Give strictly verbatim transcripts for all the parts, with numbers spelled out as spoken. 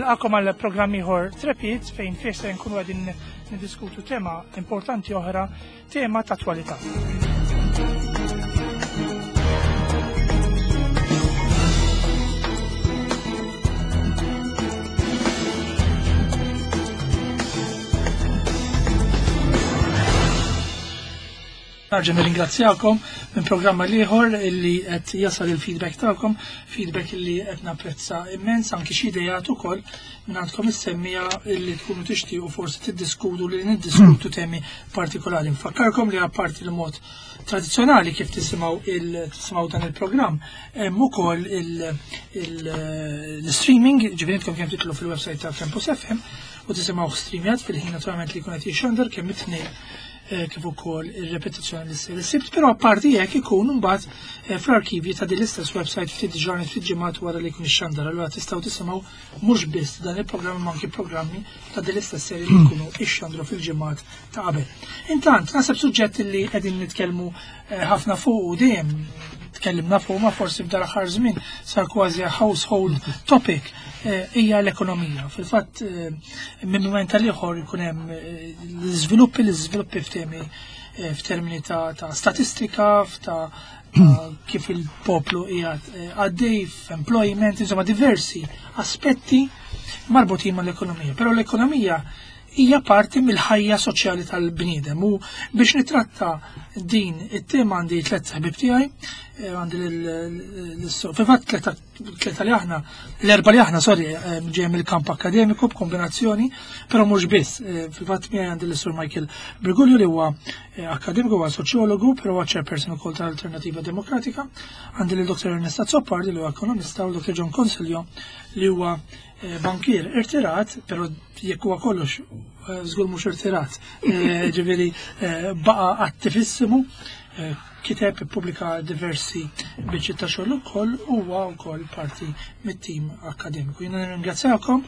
Nilqakom għal programm ieħor Trepid fejn fih se nkunu qegħdin niddiskutu tema importanti oħra, tema ta' attwalità. Narġa' nirringrazzjakom minn programma ieħor illi qed jasal il-feedback tagħkom, feedback illi qed napprezza immens anki xi ideat ukoll minn għandkom is-semmija illi tkunu tixtiequ forsi tiddiskutu li niddiskutu temi partikolari. Nfakkarkom li apparti l-mod tradizzjonali kif tisimgħu il tisimgħu dan il-programm, hemm ukoll l-streaming, ġifieri intkom kemm titlu fil-website ta' Campus F M u tisimgħu streamjat fil-ħin naturalment li jkun qed jixxandar kemm it-tnejn kif ukoll ir-repetizzjoni li ssir is-Sibt, però apparti hekk ikun imbagħad, eh, fl-arkivji ta' din l-istess website ftit ġranet ftit ġimgħat wara li jkun ixxandar. Allura tistgħu tisimgħu mhux biss dan il-programm imma anki programmi ta' din l-istess serje li jkunu ixxandru fil-ġimgħat ta' qabel. Intant, naħseb suġġett li qegħdin nitkellmu, eh, ħafna fuq u dejjem tkellimna fuq, ma forsi f'dan l-aħħar żmien sar kważi household topic, eh, hija l-ekonomija. Fil-fatt, eh, minn mument għal ieħor ikun hemm, eh, l-iżviluppi, l-iżviluppi f'temi, eh, f'termini ta', ta' statistika, ta', ta' kif il-poplu qiegħed, eh, għaddej f'employment, insomma diversi aspetti marbutin mal-ekonomija. Però l-ekonomija hija parti mill-ħajja soċjali tal-bniedem u biex nitratta din it-tema għandi tliet ħbieb tiegħi, eh, għandi l-, fil-fatt tlieta, tlieta li aħna, l-erba' li aħna, sorry, eh, ġej mill-kamp akademiku b'kombinazzjoni, però mhux biss. Eh, fil-fatt miegħi għandi l-Sur Michael Briguglio li huwa, eh, akademiku, huwa soċjologu, però huwa chairperson ukoll tal-Alternativa Demokratika. Għandi lil Doktor Ernest Azzopardi li huwa ekonomista u Doktor John Consiglio li huwa, eh, bankier irtirat, però jekk huwa kollox, eh, żgur mhux irtirat, eh, ġifieri, eh, baqa' attivissimu, eh, kiteb ippubblika diversi biċċiet ta' xogħol ukoll, huwa wkoll parti mit-tim akademiku. Jiena nirringrazzjakom.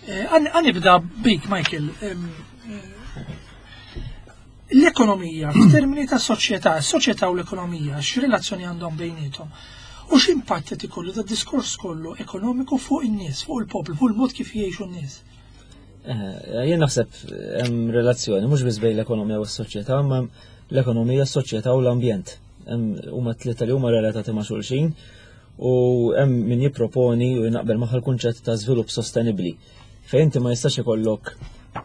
Eh, għan-, għanibda bik, Michael. Em, eh, l-ekonomija, f'termini ta' soċjetà, s-soċjetà u l-ekonomija, x'relazzjoni għandhom bejniethom? U x'impatt qed ikollu da diskors kollu ekonomiku fuq in-nies, fuq il-poplu, fuq il-mod kif jgħixu n-nies? Eh, jien naħseb hemm relazzjoni mhux biss bejn l-ekonomija u s-soċjetà, imma l-ekonomija, s-soċjetà u l-ambjent. Hemm huma tlieta li huma relatati ma' xulxin u hemm min jipproponi u jinaqbel magħha l-kunċett ta' żvilupp sostenibbli. Fejn inti ma jistax ikollok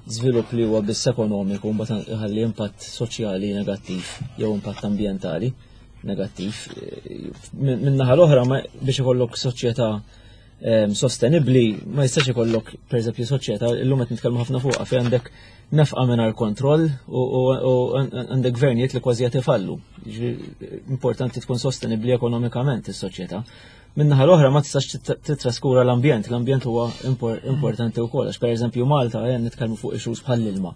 żvilupp li huwa biss ekonomiku u mbagħad iħalli impatt soċjali negattiv jew impatt ambjentali negattiv. Min naħa l-oħra ma biex ikollok soċjetà, ehm, sostenibbli ma jistax ikollok pereżempju soċjetà illum qed nitkellmu ħafna fuqha fejn għandek nefqa mingħajr kontroll u, u, u għandek gvernijiet li kważi qed ifallu. Jiġifieri, importanti tkun sostenibbli ekonomikament is-soċjetà. Min-naħa l-oħra ma tistax tit-, titraskura l-ambjent, l-ambjent huwa impor-, importanti wkoll għax pereżempju Malta qed nitkellmu fuq issues bħall-ilma.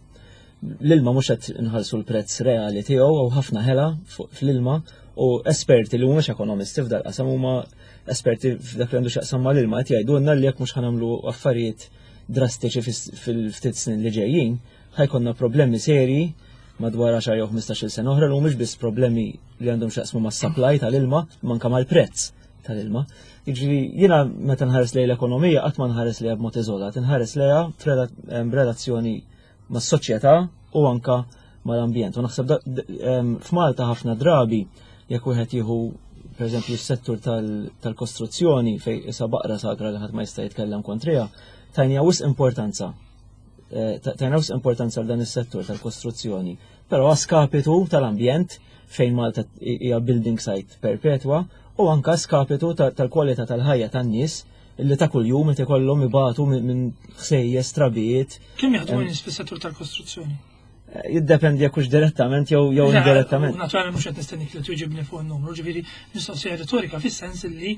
L-ilma mhux qed inħallsu l-prezz reali tiegħu u ħafna ħela fuq fl-ilma u esperti li mhumiex ekonomisti f'dal qasam huma esperti f'dak li għandu x'jaqsam mal-ilma qed jgħidulna li jekk mhux ħanamlu affarijiet drastiċi fis-, fil-ftit snin li ġejjin, ħajkonna problemi serji madwar għaxar jew ħmistax-il sena oħra li mhumiex biss problemi li għandhom x'jaqsmu mas-supply tal-ilma, imma anke mal-prezz tal-ilma. Jiġifieri jiena meta nħares lejn l-ekonomija qatt ma nħares lejha b'mod iżolat, nħares lejha f'rela-, em, b'relazzjoni mas-soċjetà u anka mal-ambjent. U naħseb da-, d-, em, f'Malta ħafna drabi jekk wieħed jieħu pereżempju s-settur tal-, tal-kostruzzjoni fejn issa baqra sagra li ħadd ma jista' jitkellem kontriha, tajnija wisq importanza. Eh, ta-, tajna wisq importanza għal dan is-settur tal-kostruzzjoni, però skapitu tal-ambjent fejn Malta hija building site perpetwa u anka skapitu ta-, tal-kwalità tal-ħajja tan-nies illi ta' kuljum qed ikollhom ibatu minn, minn ħsejjes, trabijiet. Kemm jaħdmu Em, nies fis-settur tal-kostruzzjoni? Eh, jiddependi jekk hux direttament jew, jew Le, indirettament. Naturalment mhux qed nistennik li tweġibni fuq in-numru, ġifieri mistoqsija retorika fis-sens li,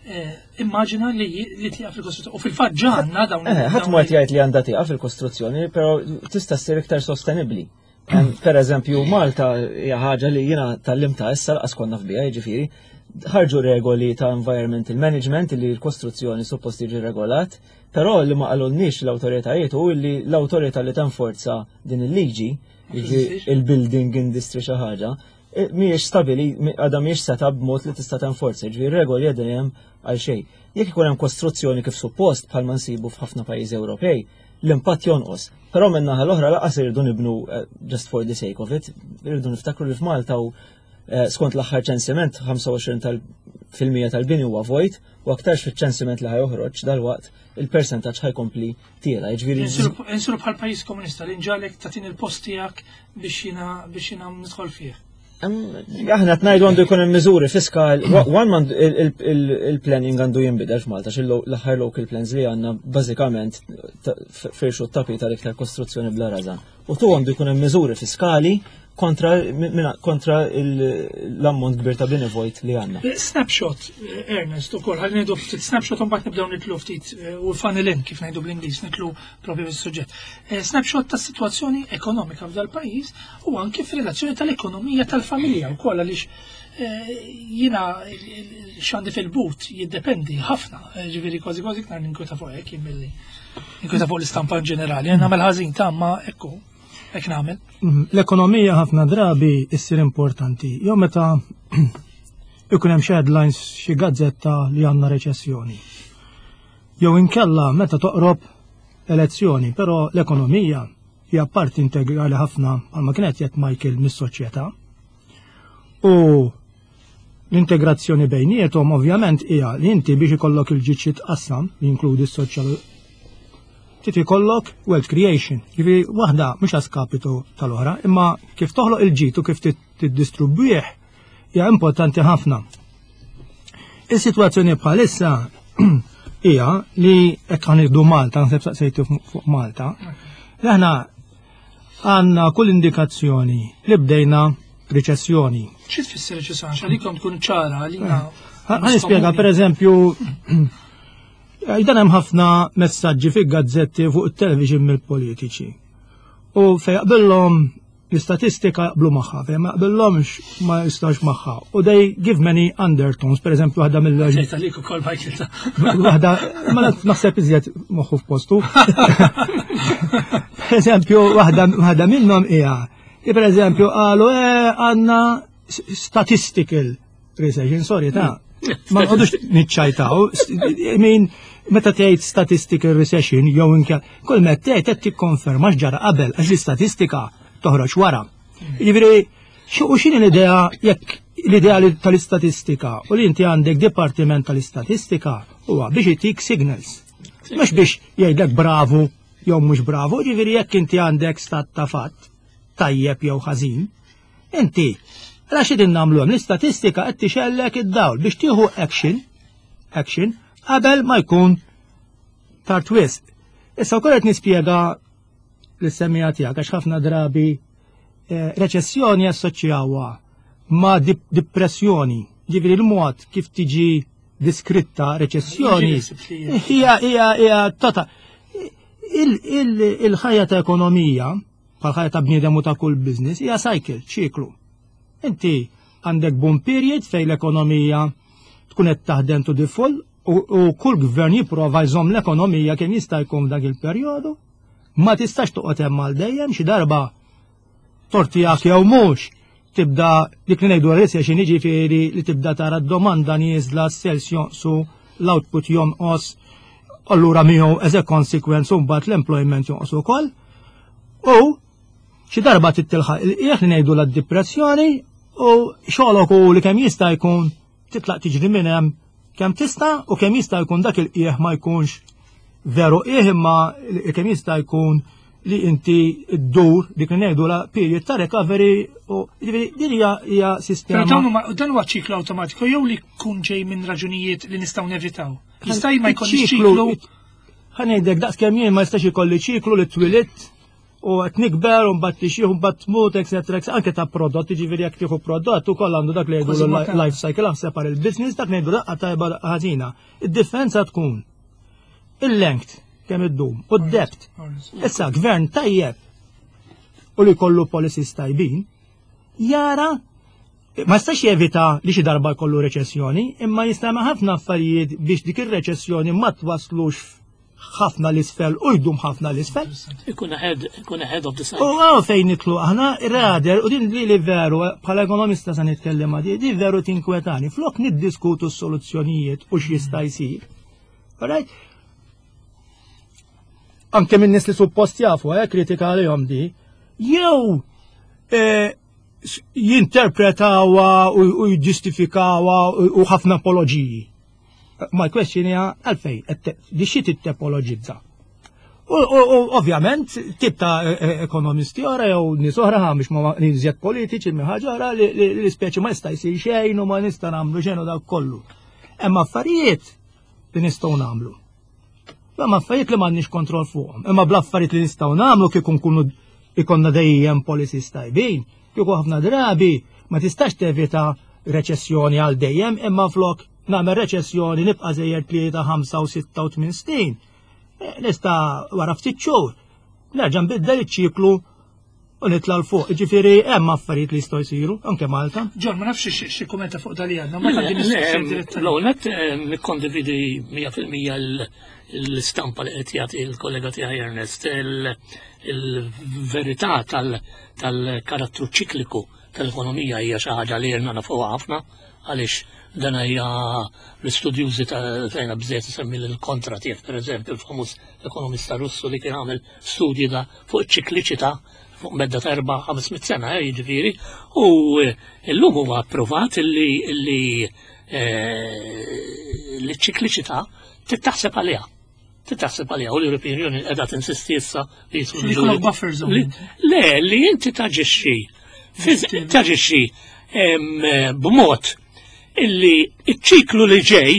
eh, immaġina li, li tieqaf fil-kostruzzjoni. U fil-fatt ġa għandna dawn Eh, ħadd dawn ma qed jgħid li għandha tieqaf fil-kostruzzjoni, però tista' ssir iktar sostenibbli. Em, Per eżempju, Malta hija ħaġa li jiena tallimta issa laqas konna fbiha, jiġifieri, ħarġu regoli ta' environmental management li l-kostruzzjoni suppost jiġi regolat, però li ma qalulniex l-awtoritajiet hu li l-awtorità li tenforza din il-liġi, Ma jiġi teżistix. il-building industry xi ħaġa, Mhijiex stabili, għadha mhijiex set up b'mod li tista' tenforza, ġifieri regoli qegħdin hemm għal xejn. Jekk ikun hemm kostruzzjoni kif suppost bħalma nsibu f'ħafna pajjiżi Ewropej, l-impatt jonqos. Però minn naħa l-oħra lanqas irridu nibnu eh, just for the sake of it, irridu niftakru li f'Malta u eh, skont l-aħħar ċensiment ħamsa u għoxrin fil-mija tal-bini huwa vojt u aktarx fiċ-ċensiment li ħa joħroġ dal-waqt il-percentaġġ ħa jkompli tiela. Jiġifieri Insiru bħal pajjiż komunista li nġalek tatin il-post tiegħek biex jiena biex jiena nidħol fih. Aħna qed ngħidu għandu jkun hemm miżuri fiskal, one man il-planning għandu jinbidel f'Malta, xi l-aħħar local plans li għandna bażikament firxu t-tapit tal-iktar kostruzzjoni bla rażan. U tu għandu jkun hemm miżuri fiskali kontra kontra l-ammont kbir ta' bini vojt li għandna. Snapshot, Ernest, ukoll, ħalli ngħidu ftit snapshot, mbagħad nibdew nidħlu ftit eh, u funnel in, kif ngħidu bl-Ingliż, nidħlu propju fis-suġġett. Eh, snapshot ta' situazzjoni ekonomika f'dal pajjiż u anke f'relazzjoni tal-ekonomija tal-familja wkoll, għaliex eh, jiena x'għandi fil-but jiddependi ħafna, ġifieri kważi kważi iktar ninkweta fuq hekk milli ninkweta fuq l-istampa in ġenerali. Nagħmel ħażin ta' ma ekku hekk nagħmel. Mm, L-ekonomija ħafna drabi issir importanti. Jew meta ikun hemm xi headlines xi gazzetta li għandna reċessjoni. Jew inkella meta toqrob elezzjoni, però l-ekonomija hija parti integrali ħafna, bħalma kienet jgħid Michael, mis-soċjetà. U l-integrazzjoni bejniethom ovvjament hija li inti biex ikollok il-ġid jitqassam, li jinkludi s-soċjal, trid ikollok wealth creation. Ġifieri waħda mhux a skapitu tal-oħra, imma kif toħloq il-ġid u kif tiddistribwih hija importanti ħafna. Is-sitwazzjoni bħalissa hija li hekk ħa nieħdu Malta, naħseb saqsejtu fuq Malta, li aħna għandna kull indikazzjoni li bdejna riċessjoni. Xi tfisser reċessjoni? Għalikom tkun ċara għalina. Ħa nispjega. Per eżempju, dan hemm ħafna messaġġi fi gazzetti, fuq it-television mill-politiċi. U fej jaqbillhom l-istatistika jaqblu magħha, fej ma jaqbillhomx ma jistax magħha. U they give many undertones, per eżempju, waħda mill Ġejt għalik ukoll, Michael. ta' Waħda, ma naħseb iżjed moħħu f'postu. Per eżempju, waħda waħda minnhom hija li per eżempju qalu eh, għandna statistical recession, sorry ta' ma nqogħdux niċċajtaw, I mean, meta tgħid statistical recession jew inka kull ma tgħid qed tikkonferma x'ġara qabel, għax l-istatistika toħroġ wara. Jiġifieri u x'inhi l-idea, jekk l-idea li tal-istatistika u li inti għandek dipartiment tal-istatistika huwa biex itik signals. Mhux biex jgħidlek bravu jew mhux bravu, ġifieri jekk inti għandek stat ta' fatt tajjeb jew ħażin, inti għala xi din nagħmlu hemm l-istatistika qed tixgħellek id-dawl biex tieħu action action qabel ma jkun tard wisq. Issa wkoll qed nispjega lis-semmiegħa tiegħek għax ħafna drabi eh, reċessjoni assoċjawha ma' dip depressjoni. Ġifieri l-mod kif tiġi diskritta reċessjoni hija hija hija tota. Il-ħajja ta' ekonomija, bħal ħajja ta' bniedem u ta' kull business, hija cycle, ċiklu. Inti għandek boom period fejn l-ekonomija tkun qed taħdem to the full u, u kull gvern jipprova jżomm l-ekonomija kemm jista' jkun f'dak il-perjodu. Ma tistax toqgħod hemm għal dejjem, xi darba tort tiegħek jew mhux tibda dik li ngħidu recession, jiġifieri li tibda tara d-domanda nieżla, s-sales jonqsu, l-output jonqos, allura miegħu as a consequence mbagħad l-employment jonqos ukoll. U xi darba tittilħaq il-qiegħ li ngħidu l-depressjoni u xogħolok u li kemm jista' jkun titlaq tiġri minn hemm kemm tista' u kemm jista' jkun dak il-qiegħ ma jkunx veru qiegħ, imma kemm jista' jkun li inti ddur dik li ngħidu la period ta' recovery, u ġifieri din hija hija sistema. Però dawn huma dan huwa ċiklu awtomatiku jew li jkun ġej minn raġunijiet li nistgħu nevitaw? Jista' ma jkollix ċiklu. Ħa ngħidlek, daqs kemm jien ma jistax ikolli ċiklu li twilidt u qed nikber u mbagħad tixjih u mbagħad tmut, et cetera. Anke ta' prodott, jiġifieri jekk tieħu prodott ukoll għandu dak li jgħidu life cycle, aħseb għal il-business, dak ngħidu daqqa tajba, ħażina. Id-differenza tkun il-length, kemm iddum, u d-depth. Issa gvern tajjeb u li kollu policies tajbin jara ma jistax jevita li xi darba jkollu reċessjoni, imma jista' ħafna affarijiet biex dik ir-reċessjoni ma twaslux Ħafna l-isfel u jdum ħafna l-isfel. Ikun ahead, ikun ahead of the U cycle. għaw fejn nidħlu aħna, rather, u din li li veru, bħala ekonomista sa nitkellem di, di veru tinkwetani, flok niddiskutu s-soluzzjonijiet u x'jista' jsir. Alright? Anke minn nies li suppost jafu, eh, kritika għalihom di, jew eh, s- jinterpretawha u u jiġġustifikawha u u ħafna apologiji. My question hija għalfejn, qed te- di xi tittepologizza. U, u, u ovvjament, tip ta' e- e- ekonomisti oħra jew nies oħra ħa mhux ma iżjed politiċi minn ħaġa oħra li, li, li speċi ma jista' jsir xejn u ma nista' nagħmlu xejn u dak kollu. Hemm affarijiet li nistgħu nagħmlu. Hemm affarijiet li m'għandniex kontroll fuqhom. Imma bl-affarijiet li nistgħu nagħmlu kieku nkunu ikollna dejjem policies tajbin, kieku ħafna drabi ma tistax tevita reċessjoni għal dejjem, imma flok nagħmel reċessjoni nibqa' sejjer tlieta, ħamsa u sitta u tmien snin. Eh, Nista' wara ftit xhur nerġa' nbiddel iċ-ċiklu u nitla' 'l fuq. Ġifieri hemm affarijiet li jistgħu jsiru anke Malta. John, ma nafx xi- xi kummenta fuq dali għandna, ma tgħaddi mistoqsija direttament. L-ewwel nett nikkondividi mija fil-mija l-istampa li qed jagħti il-kollega tiegħi Ernest, il- il-verità tal- tal-karattru ċikliku tal-ekonomija hija xi ħaġa li jirna nafuha ħafna, għaliex dan hija l-istudjużi ta' tajna bżejt semmi l-Kondratiev, per eżempju, il-famuż ekonomista Russu li kien għamel studji da fuq iċ-ċikliċità fuq medda ta' erba' ħames mitt sena, eh, jiġifieri, u eh, illum huwa approvat illi illi eh, li ċ-ċikliċità tittaħseb għaliha. Tittaħseb għaliha u l-European Union qiegħda tinsisti issa li jidħlu Li jkollok buffer zone. li- Le, li inti taġixxi fiż- taġixxi em, b'mod illi iċ-ċiklu li ġej,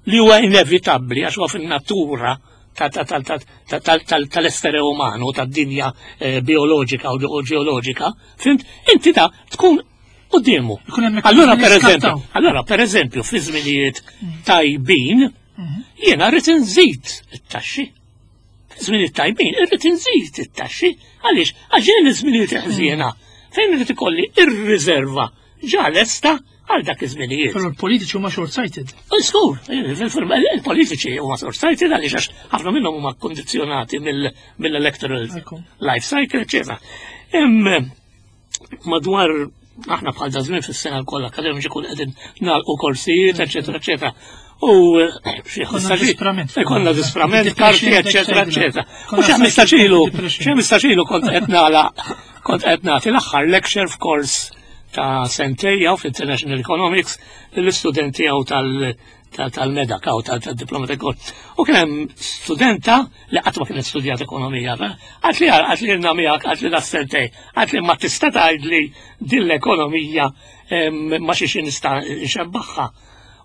li huwa inevitabbli għax huwa fin-natura ta- ta- ta- ta- ta- tal- tal- tal-essere umano, tad-dinja eh, bioloġika u u ġeoloġika, fhimt, inti ta' tkun quddiemu. Ikun hemm Allura mekkaniżmi per li eżempju, skattaw. allora per eżempju fi żminijiet tajbin jiena rrid inżid it-taxxi. Fi żminijiet tajbin irrid inżid it-taxxi. Għaliex? Għax jien iż-żminijiet ħżiena fejn irid ikolli ir-riserva ġa lesta għal dak iż-żminijiet. Però l-politiċi huma short-sighted. Żgur, il-politiċi huma short-sighted għaliex għax ħafna minnhom huma kkondizzjonati mill-electoral Ekku. life cycle, eċetera. Hemm madwar aħna bħal da żmien fis-sena l-kollha akademiċi kun qegħdin nagħlqu korsijiet, eċetera, eċetera. U eh, xi Konna ħmistax- disprament. Konna disprament, Depression, karti, eċetera, eċetera. eċetera. U Konna xi ħmistax ilu, depression. xi ħmistax ilu kont qed nagħlaq kont qed nagħti l-aħħar lecture f'kors ta' sentejja f'International Economics lill-istudenti għaw tal- tal- tal-medak għaw tal-diploma ta' U kien hemm studenta li qatt ma kienet studjat ekonomija, għat li għat li rna miegħek, għat li da sentej, għat li ma tista' tgħidli din l-ekonomija em, ma xiex nista' nxebbaħħa.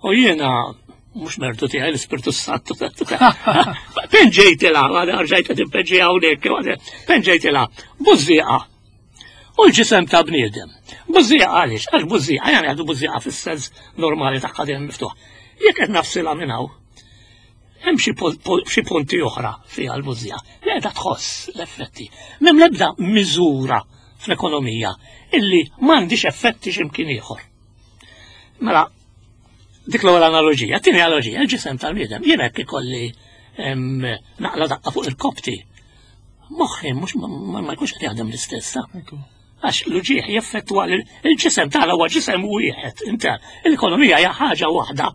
U jiena mhux mertu tiegħi, l-Ispirtu Santu. Pinġejtilha, rġajt qed inpenġi hawnhekk, pinġejtilha, bużżieqa. U l-ġisem ta' bniedem. Bużżieqa għaliex? Għax bużżieqa, jgħan għadu bużżieqa fis-sens normali tagħha dejjem miftuħ. Jekk qed nafsilha minn hawn, hemm xi po- po- xi punti oħra fiha l-bużżieqa li qiegħda tħoss l-effetti. M'hemm l-ebda miżura fl-ekonomija illi m'għandix effetti x'imkien ieħor. Mela, dik l-ewwel analogija. Tieni analogija, il-ġisem tal-bniedem. Jien hekk ikolli em, naqla daqqa fuq il-kopti. Moħħi mhux ma ma jkunx qed jaħdem l-istess. ta' Ekku. Għax l-uġieħ jeffettwa l- il-ġisem tagħna huwa ġisem wieħed. Inta l-ekonomija hija ħaġa waħda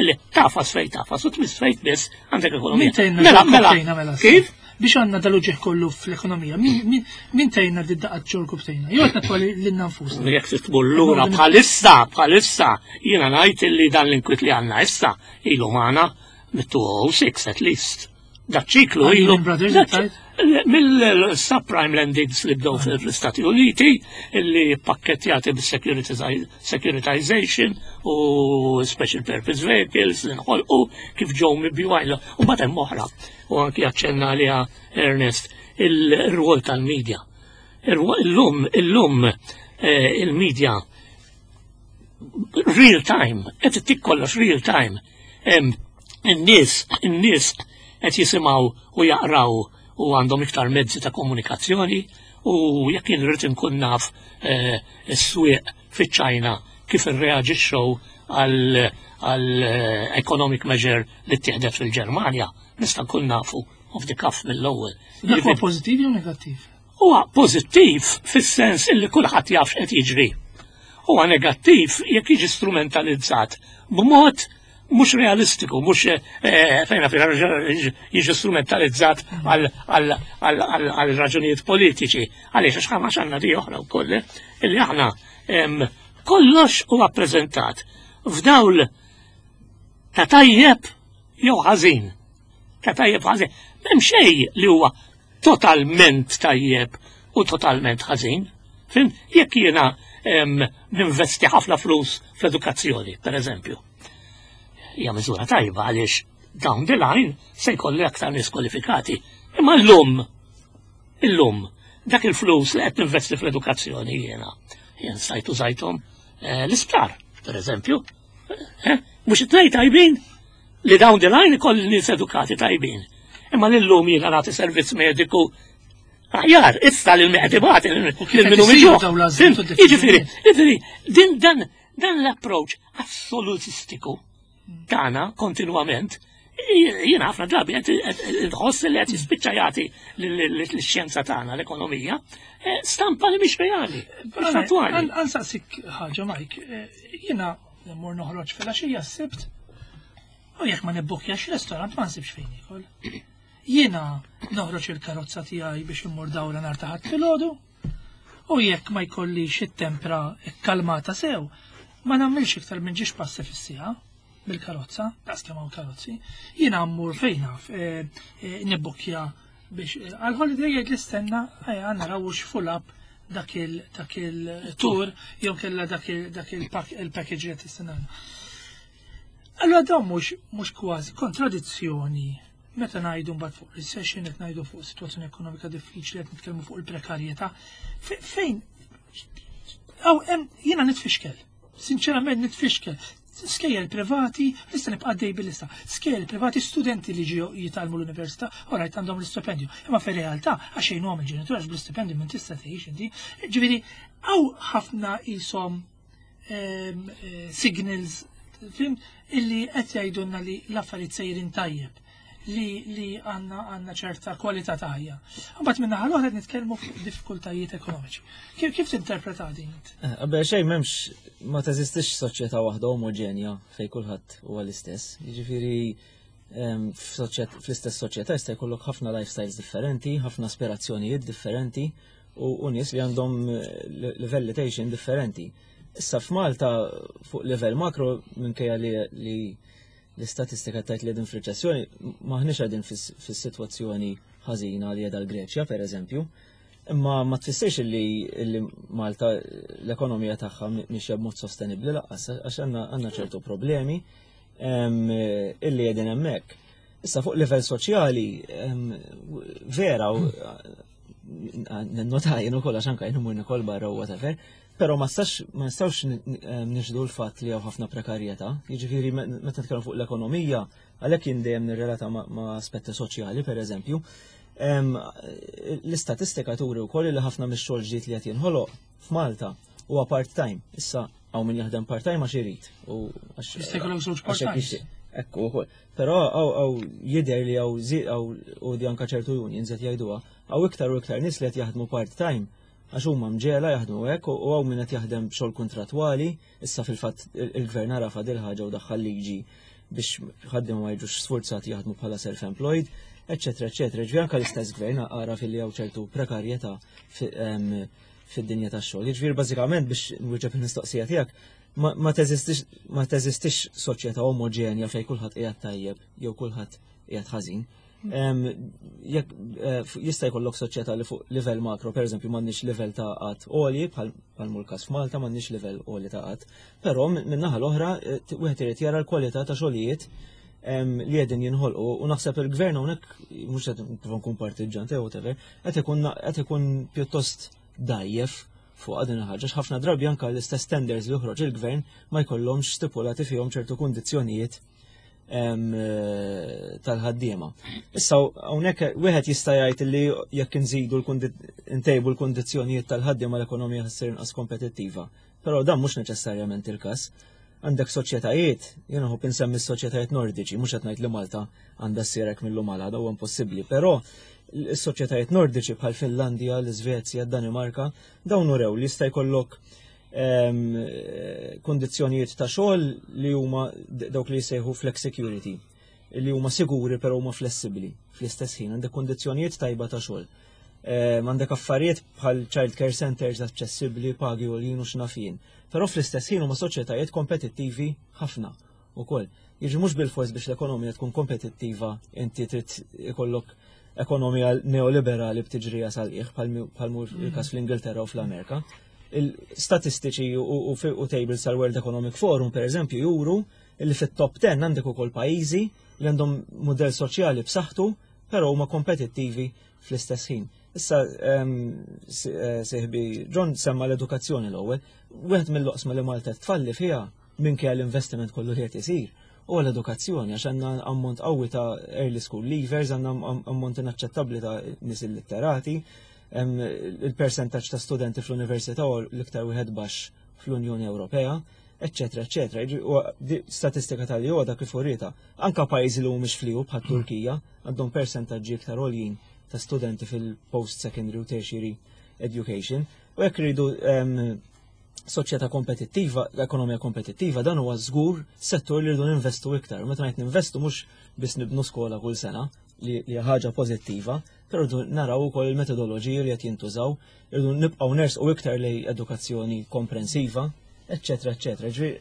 illi tafas fejn tafas u tmiss fejn tmiss għandek ekonomija. Min tgħinna Mela, ġol mela, tgħinna mela. Kif? Biex għandna dal-uġieħ kollu fl-ekonomija, min- min min tgħinna di daqqa ġol tgħinna? Jew qed natwali lilna nfusna. Jekk titmur lura bħalissa, bħalissa, jiena ngħid illi dan l-inkwit li għandna issa ilu magħna mit-elfejn u sitta at least. Da ċiklu Għal ilu. Lehman Brothers, da tajt? Mill-subprime lendings li bdew fl-Istati Uniti, illi pakkettjati bis-securitization u special purpose vehicles li nħolqu kif ġew mibjugħin. U mbagħad hemm oħra, u anki aċċenna għaliha Ernest, il-rwol tal-medja. Illum, illum eh, il-medja real time, qed ittik kollox real time. Em, In-nies, in-nies qed jisimgħu u jaqraw u għandhom iktar mezzi ta' komunikazzjoni u jekk jien rrid inkun naf eh, is-swieq fiċ-Ċajna kif irreaġixxew għal għal eh, economic measure li ttieħdet fil-Ġermanja, nista' nkun nafu Off the cuff mill-ewwel. Dak huwa pożittiv jew negattiv? Huwa pożittiv fis-sens illi kulħadd jaf x'qed jiġri. Huwa negattiv jekk jiġi strumentalizzat b'mod mhux realistiku, mhux eh, fejna fejna jiġi strumentalizzat għal raġunijiet politiċi. Għaliex għax għax għandna di oħra wkoll, eh, illi aħna kollox huwa ppreżentat f'dawl ta' tajjeb jew ħażin. Ta' tajjeb ħażin. M'hemm xejn li huwa totalment tajjeb u totalment ħażin. Fhimt? Jekk jiena ninvesti ħafna flus fl-edukazzjoni, per eżempju. Hija miżura tajba għaliex down the line se jkolli aktar nies kwalifikati. Imma llum, illum, dak il-flus li qed ninvesti fl-edukazzjoni jiena, jien stajt użajthom eh, l-isptar, per eżempju. Eh, mhux it-tnejn tajbin li down the line ikolli nies edukati tajbin. Imma l-lum jiena nagħti servizz mediku aħjar, issa lil min ibati lil min hu. Jiġifieri, jiġifieri, din dan dan l-approach assolutistiku tagħna kontinwament, jiena ħafna drabi qed nħoss li qed jispiċċa jagħti l-xjenza tagħna, l-ekonomija, eh, stampa li mhix reali, mhix fattwali. Ħa nsaqsik ħaġa, Mike, eh, jiena mmur noħroġ fil-għaxija s-Sibt, u jekk ma nibbukjax restorant ma nsibx fejn nikol. Jiena noħroġ il-karozza tiegħi biex immur dawra nhar ta' Ħadd filgħodu, u jekk ma jkollix it-tempra kkalmata sew, ma nagħmilx iktar minn ġiex passi fis-siegħa bil-karozza, daqs kemm hawn karozzi. Jiena mmur fejn naf, eh, eh, nibbukja biex eh, għal-holiday jgħid li stenna ejja naraw full up dak il dak il-tour jew kella dak il dak il-package li qed tistenna. Allora dawn mhux mhux kważi kontradizzjoni meta ngħidu mbagħad fuq recession, qed ngħidu fuq situazzjoni ekonomika diffiċli, qed nitkellmu fuq il-prekarjetà. Fejn Aw, jiena nitfixkel. Sinċerament nitfixkel. Skejjel privati, nista' nibqa' dej bil-lista. Skejjel privati, studenti li ġew jitgħallmu l-università, orajt għandhom l-istipendju. Imma fir-realtà għax jgħinuhom il-ġenitur għax bl-istipendju minn tista' tgħix inti. Ġifieri hawn ħafna qishom ehm, eh, signals fhimt illi qed jgħidulna li l-affarijiet sejrin tajjeb li li għandna għandna ċerta kwalità ta' ħajja. Mbagħad minn naħa l-oħra qed nitkellmu fuq diffikultajiet ekonomiċi. Kif kif tinterpreta din? Eh, qabel xejn m'hemmx, ma teżistix soċjetà waħda omogenja fejn kulħadd huwa l-istess. Jiġifieri em, f'soċjet- fl-istess soċjetà jista' jkollok ħafna lifestyles differenti, ħafna aspirazzjonijiet differenti u, u nies li għandhom eh, li- livelli ta' differenti. Issa f'Malta fuq livell makro, minkejja li, li l-istatistika tgħid li qegħdin f'riċessjoni, maħniex qegħdin fis-sitwazzjoni ħażina li qiegħda l-Greċja, per eżempju. Imma ma tfissirx li, li Malta l-ekonomija tagħha mixja b'mod sostenibbli lanqas, għax għandna għandna ċertu problemi em, illi qegħdin hemmhekk. Issa fuq livell soċjali em, vera u nota jien ukoll għax anke jien immur nikol barra u whatever, però ma stax ma nistgħux niċħdu l-fatt li hawn ħafna prekarjetà. Jiġifieri meta nitkellmu fuq l-ekonomija, għalhekk jien dejjem nirrelata ma' ma' aspetti soċjali, pereżempju. Em, L-istatistika turi wkoll li ħafna mix-xogħol ġdid li qed jinħoloq f'Malta huwa part-time. Issa hawn min jaħdem part-time għax irid u għax Jista' jkollok żewġ għax hekk part-times. jixtieq. Ekku ukoll. Però hawn hawn jidher li hawn zi hawn u di anka ċertu unions qed jgħiduha, hawn iktar u iktar nies li qed jaħdmu part-time għax huma mġiegħla jaħdmu hekk u hawn min qed jaħdem b'xogħol kontratwali, issa fil-fatt il-gvern għarafa dil ħaġa u daħħal liġi biex ħaddiema ma jiġux sforzati jaħdmu bħala self-employed, eccetera, eccetera. Ġifieri anke l-istess gvern għaraf fil li hawn ċertu prekarjetà fid-dinja tax-xogħol. Jiġifieri bażikament biex nwieġeb il-mistoqsija tiegħek, ma ma teżistix ma teżistix soċjetà omogenja fejn kulħadd qiegħed tajjeb jew kulħadd qiegħed ħażin. Em, Jekk eh, f- jista' jkollok soċjetà li fuq livell makro, per eżempju, m'għandniex livell ta' qgħad għoli bħal bħal mhu l-każ f'Malta, m'għandniex livell għoli ta' qgħad. Però minn naħa l-oħra eh, t- wieħed irid jara l-kwalità ta' xogħlijiet em, li qegħdin jinħolqu u naħseb il-gvern hawnhekk mhux qed nipprova nkun partiġġan jew whatever, qed ikun qed ikun pjuttost dajjef fuq din il-ħaġa. Ħafna drabi anke l-istess tenders li joħroġ il-gvern ma jkollhomx stipulati fihom ċertu kundizzjonijiet em, eh, tal-ħaddiema. Issa hawnhekk wieħed jista' jgħid li jekk inżidu l ntejbu l-kundizzjonijiet tal-ħaddiema l-ekonomija ssir inqas kompetittiva. Però dan mhux neċessarjament il-każ. Għandek soċjetajiet, jiena nħobb insemmi s-soċjetajiet nordiċi, mhux qed ngħid li Malta għandha ssir hekk mil-lum għal għada, huwa impossibbli, però s-soċjetajiet nordiċi bħal Finlandja, l-Iżvezja, Danimarka, dawn urew li jista' jkollok ehm, kondizzjonijiet ta' xogħol li huma dawk li jsejħu flex security, li huma siguri però huma flessibbli fl-istess ħin, għandek kondizzjonijiet tajba ta' xogħol. Ehm, għandek affarijiet bħal child care centers aċċessibbli, pagi u u x'naf jien. Però fl-istess ħin huma soċjetajiet kompetittivi ħafna ukoll. Jiġi mhux bil-fors biex l-ekonomija tkun kompetittiva inti trid ikollok ekonomija neoliberali b'tiġrija sal-qiegħ bħal mur il-każ fl-Ingilterra u fl-Amerika. Il-statistiċi u, u, u tables tal-World Economic Forum, per eżempju, juru li fit-top ten għandek ukoll pajjiżi li għandhom modell soċjali b'saħħtu, però huma kompetittivi fl-istess ħin. Issa sieħbi John semma l-edukazzjoni l-ewwel, wieħed mill-oqsma li Malta tfalli fiha minkejja l-investiment kollu li qed isir huwa l-edukazzjoni, għax għandna ammont qawwi ta' early school leavers, għandna ammont inaċċettabbli ta' nies illitterati, il-percentaġġ ta' studenti fl-università huwa l-iktar wieħed baxx fl-Unjoni Ewropea, eccetera, eccetera. Statistika tal-joda kif urita. Anka pajjiżi li mhumiex fl-E U bħal Turkija għandhom percentaġġi iktar għoljin ta' studenti fil-post-secondary u tertiary education. U jekk rridu soċjetà kompetittiva, l-ekonomija kompetittiva, dan huwa żgur settur li rridu ninvestu iktar. Meta ngħid ninvestu, mhux biss nibnu skola kull sena, li hija ħaġa pożittiva, però rridu naraw ukoll il-metodoloġiji li qed jintużaw, rridu nibqgħu nersqu iktar lejn edukazzjoni komprensiva, eċċetera, eċċetera. Ġifieri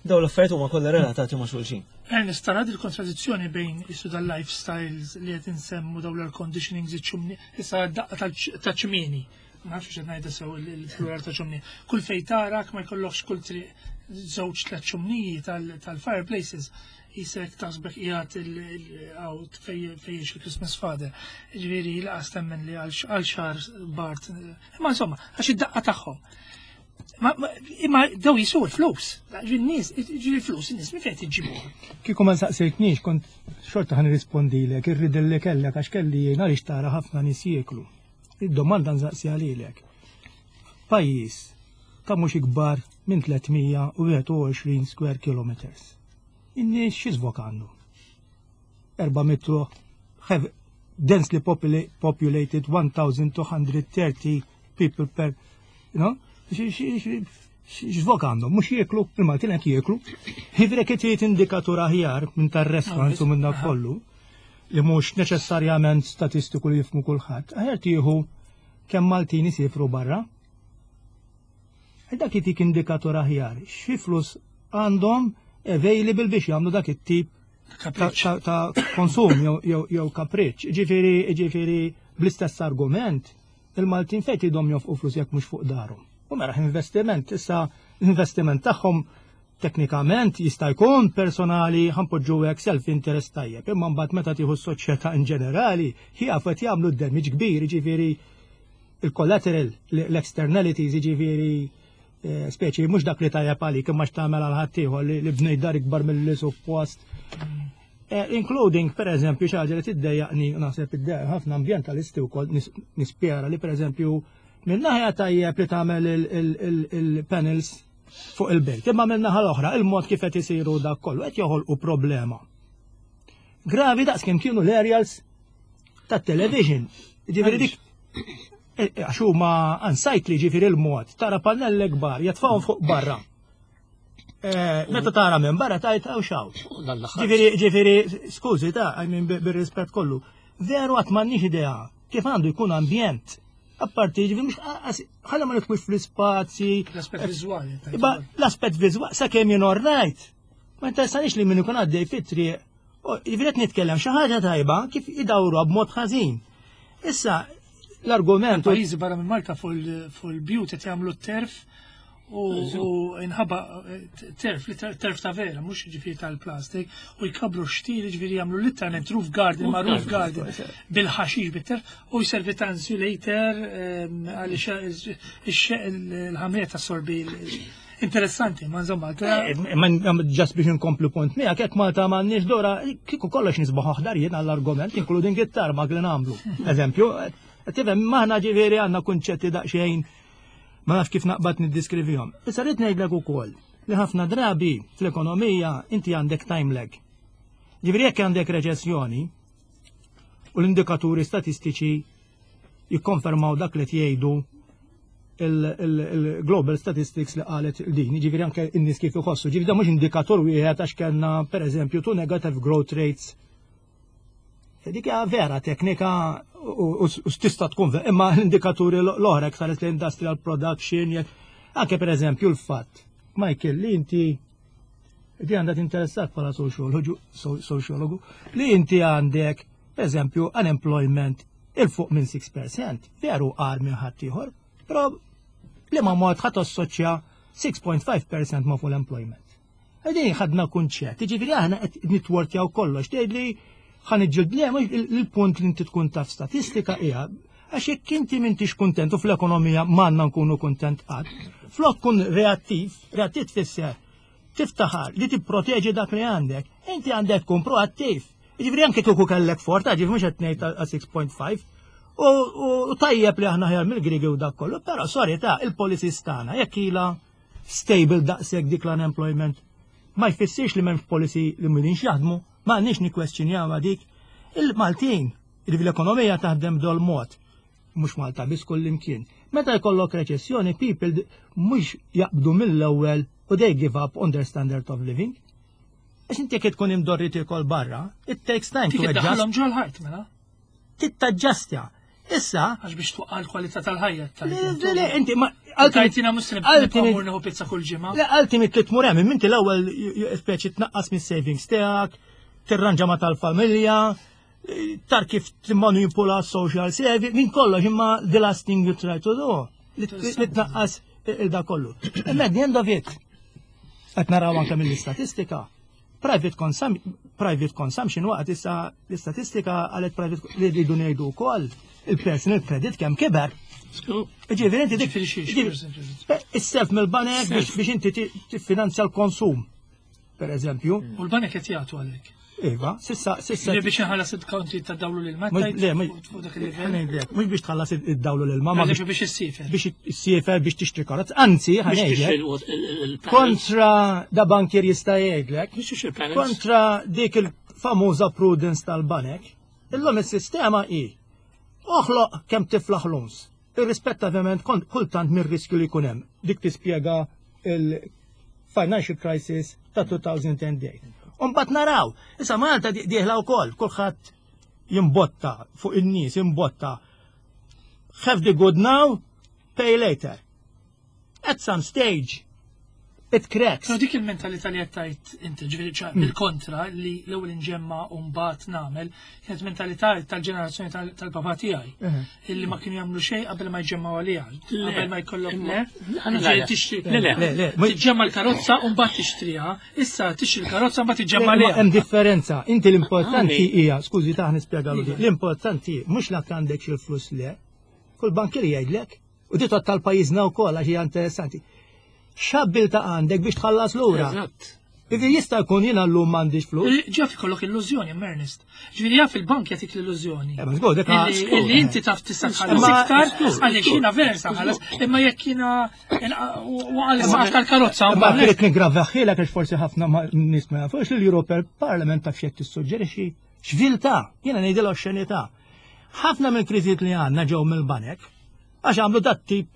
dawn l-affarijiet huma kollha relatati ma' xulxin. Ernest, tara il-kontradizzjoni bejn isu dal-lifestyles li qed insemmu, dawn l-air conditionings, iċ-ċumni, issa daqqa ta' ċmieni. Ma nafx qed ngħidha sew il-plural ta' ċumni. Kull fej tarak ma jkollokx kull triq żewġ tliet ċumniji tal-fireplaces, jisek taħsbek qiegħed il-out fej il-Christmas Father. Ġifieri laqas temmen li għal xahar Bart. Imma insomma, għax id-daqqa tagħhom. Imma daw jisu l-flus. Ġin-nies, ġi l-flus, in-nies minn fejn iġibu? Kieku ma nsaqsejtnix, kont xorta ħa nirrispondilek, irrid li kellek għax kelli jien għaliex tara ħafna nies jieklu. Id-domanda nsaqsi għalilek. Pajjiż ta' mhux ikbar minn tliet mija u wieħed u għoxrin square kilometers. In-nies xi żvok għandu? erba' mitt have densely populated one thousand two hundred thirty people per, you know, x'żvok għandhom, mhux jieklu, il-Maltin qed jieklu. Ġifieri qed indikatur aħjar minn tar-restaurants u minn dak kollu li mhux neċessarjament statistiku li jifmu kulħadd. Aħjar tieħu kemm Maltin isifru barra. Dak jitik indikatur aħjar. Xi flus għandhom available biex jagħmlu dak it-tip ta' konsum jew kapriċ. Ġifieri, ġifieri bl-istess argument, il-Maltin fejn idhom jonfqu flus jekk mhux fuq darhom? U mela investiment, issa l-investiment tagħhom teknikament jista' jkun personali, ħa npoġġu hekk, self-interest tajjeb, imma mbagħad meta tieħu s-soċjetà in ġenerali, jafu qed jagħmlu damage kbir, ġifieri il-collateral, l-externalities, ġifieri eh, speċi mhux dak li tajjeb għalik imma x'tagħmel għal ħaddieħor li bnejt dar ikbar mill-li suppost. Eh, including, per eżempju, xi ħaġa li tiddejjaqni, naħseb iddejjaq ħafna ambjentalisti wkoll, nispjera li, per eżempju, minn naħja tajjeb li tagħmel il-panels fuq il-bejt. Imma minn naħa l-oħra, il-mod kif qed isiru dak kollu qed joħolqu problema gravi daqs kemm kienu l-aerials tat-television. Ġifieri dik eh, għax huma unsightly, ġifieri il-mod tara pannelli kbar jatfawhom fuq barra. Eh, meta tara minn barra tajt għaw xaw. Ġifieri, ġifieri, skużi ta' I mean, bir-rispett kollu. Veru għad m'għandniex idea kif għandu jkun ambjent. Apparti, ġifieri, mhux ħalla ma nidħlux fl-ispazji. L-aspett viżwali. Iba, l-aspett viżwali, sa kemm jien rajt. Ma interessanix li min ikun għaddej fit-triq. Ġifieri qed nitkellem xi ħaġa tajba kif idawru b'mod ħażin. Issa, l-argument. Pajjiżi barra minn Malta fuq il-bjut qed jagħmlu t-turf u inħaba turf, turf ta' vera, mhux ġifieri tal-plastik, u jkabru xtili, ġifieri jagħmlu literalment roof garden ma' roof garden bil-ħaxix, bit-turf, u jservi ta' insulator għaliex il-ħamrija tassorbi. Interessanti, ma insomma. Eh, ma just biex inkomplu punt miegħek, jekk Malta m'għandniex dora, kieku kollox nisbaħ aħdar jien għall-argument, including it-tar ma li nagħmlu. Eżempju, tifhem, maħna ġifieri għandna kunċetti daqsxejn ma nafx kif naqbad niddiskrivihom. Issa rrid ngħidlek ukoll. Li ħafna drabi fl-ekonomija inti għandek time lag. Ġifieri jekk għandek reċessjoni u l-indikaturi statistiċi jikkonfermaw dak li jgħidu il-Global Statistics li qalet din, ġifieri anke n-nies kif iħossu, ġifieri da mhux indikatur wieħed għax kellna pereżempju two negative growth rates. Dik hija vera teknika u u tista' tkun vera, imma l-indikaturi l-oħra saret l-industrial production, jekk- anke pereżempju l-fatt, Michael, li inti di għandha tinteressak bħala sociologu, sociologu, li inti għandek, per eżempju, unemployment 'il fuq minn sitta fil-mija, veru għar minn ħaddieħor, però li ma mod ħadd assoċja sitta punt ħamsa fil-mija ma' full employment. Għedin ħadna kunċett, ġifieri aħna qed nitwortjaw kollox, tgħid li ħa niġġieldu le, mhux il-punt li inti tkun taf statistika hija għax jekk inti m'intix kuntent u fl-ekonomija m'għandna nkunu kuntent qatt, flok kun reattiv, reattiv tfisser tiftaħar li tipproteġi dak li għandek, inti għandek tkun proattiv. Ġifieri anke kieku kellek forta, ġifieri mhux qed ngħid għal sitta punt ħamsa. U u tajjeb li aħna ħjar mill-Grigi u dak kollu, però sorry ta' il-policies tagħna jekk ilha stable daqshekk dik l-unemployment ma jfissirx li m'hemmx policy li m'ilhomx jaħdmu, ma għandniex nikkwestjonjaw dik. Il-Maltin, li l-ekonomija taħdem dol mod, mhux Malta biss, kull imkien. Meta jkollok reċessjoni, people d- mhux jaqbdu mill-ewwel u they give up on their standard of living. Għax inti jekk tkun imdorri tiekol barra, it takes time to Dik adjust. iddaħħalhom ġol-ħajt mela. Tittaġġastja. Issa, Għax biex twaqqa l-kwalità tal-ħajja. Le, le, le, inti ma Tajtina muslim ultimate- nibqa' nieħu pizza kull ġimgħa. Le, ultimate li tmur hemm, inti l-ewwel speċi tnaqqas mis-savings tiegħek, tirranġa ma tal-familja, tar kif timmanipula social service, minn kollox, imma the last thing you try to do li li tnaqqas il-da kollu. Imma at the end of it, qed naraw anke mill-istatistika, private, consum private consumption waqt issa l-istatistika għalet private li rridu ngħidu wkoll il-personal credit kemm kiber. Ġifieri inti dik Ġifieri xiex, ġifieri- personal credit? Is-self mill-banek biex biex inti ti- tiffinanzja l-konsum, per eżempju. U l-banek qed jagħtu għalhekk. Iva, sissa, sissa. Li biex inħallas il-konti ta' dawlu lil Mhux- mattajt Le, mhux fuq dak il-livell. ħa ngħidlek, mhux biex tħallas id-dawlu lil mama, Biex biex biex issiefer. biex issiefer, biex tixtri karozza. Anzi, Biex ħa ngħidlek, tixtri il-panels. kontra da bankier jista' jgħidlek, Biex tixtri il-panels. kontra dik il-famuża prudence tal-banek, illum is-sistema hi oħloq kemm tiflaħ loans. Irrispettavament kont kultant mir-riskju li jkun hemm. Dik tispjega il-financial crisis ta' elfejn u tmienja. Umbagħad naraw, issa Malta di- dieħla wkoll, kulħadd jimbotta fuq in-nies, jimbotta. Have the good now, pay later. At some stage, it cracks. Pero dik il-mentalità li qed tgħid inti, ġifieri ċa bil-kontra li l-ewwel inġemma u mbagħad nagħmel, kienet mentalità tal-ġenerazzjoni tal- tal-papà tiegħi. Mhm. Illi ma kienu jagħmlu xejn qabel ma jġemmaw għaliha. Le. Qabel ma jkollhom le. Le, Ġifieri tixtri. Le, le. Le, le, mhux- Tiġġemma l-karozza u mbagħad tixtriha. Issa tixtri l-karozza u mbagħad tiġġemma Ma għaliha. hemm differenza. Inti l-importanti Għani. hija, skużi ta' nispjegalu di, l-importanti mhux la għandek il-flus le. Kull bankier jgħidlek, u di tal-pajjiżna wkoll għax hija interessanti. X'abbiltà għandek biex tħallas lura? Eżatt. Ivi jista' jkun jiena llum m'għandix flus. Ġaf ikollok illużjoni, Ernest. Ġifieri jaf il-bank jagħtik l-illużjoni. Eh, ma żgur, dik Illi illi inti taf tista' tħallas Ma- iktar, żgur, għaliex żgur. jiena vera sa ħallas, imma jekk jiena waqal saqaf tal-karozza, Ma trid niggravahielek għax forsi ħafna ma- nies ma jafux li l-European Parliament taf x'qed tissuġġerixxi. X'viltà, jiena ngħidilha oxxenità. Ħafna mill-kriżijiet li għandna ġew mill-banek għax għamlu dat tip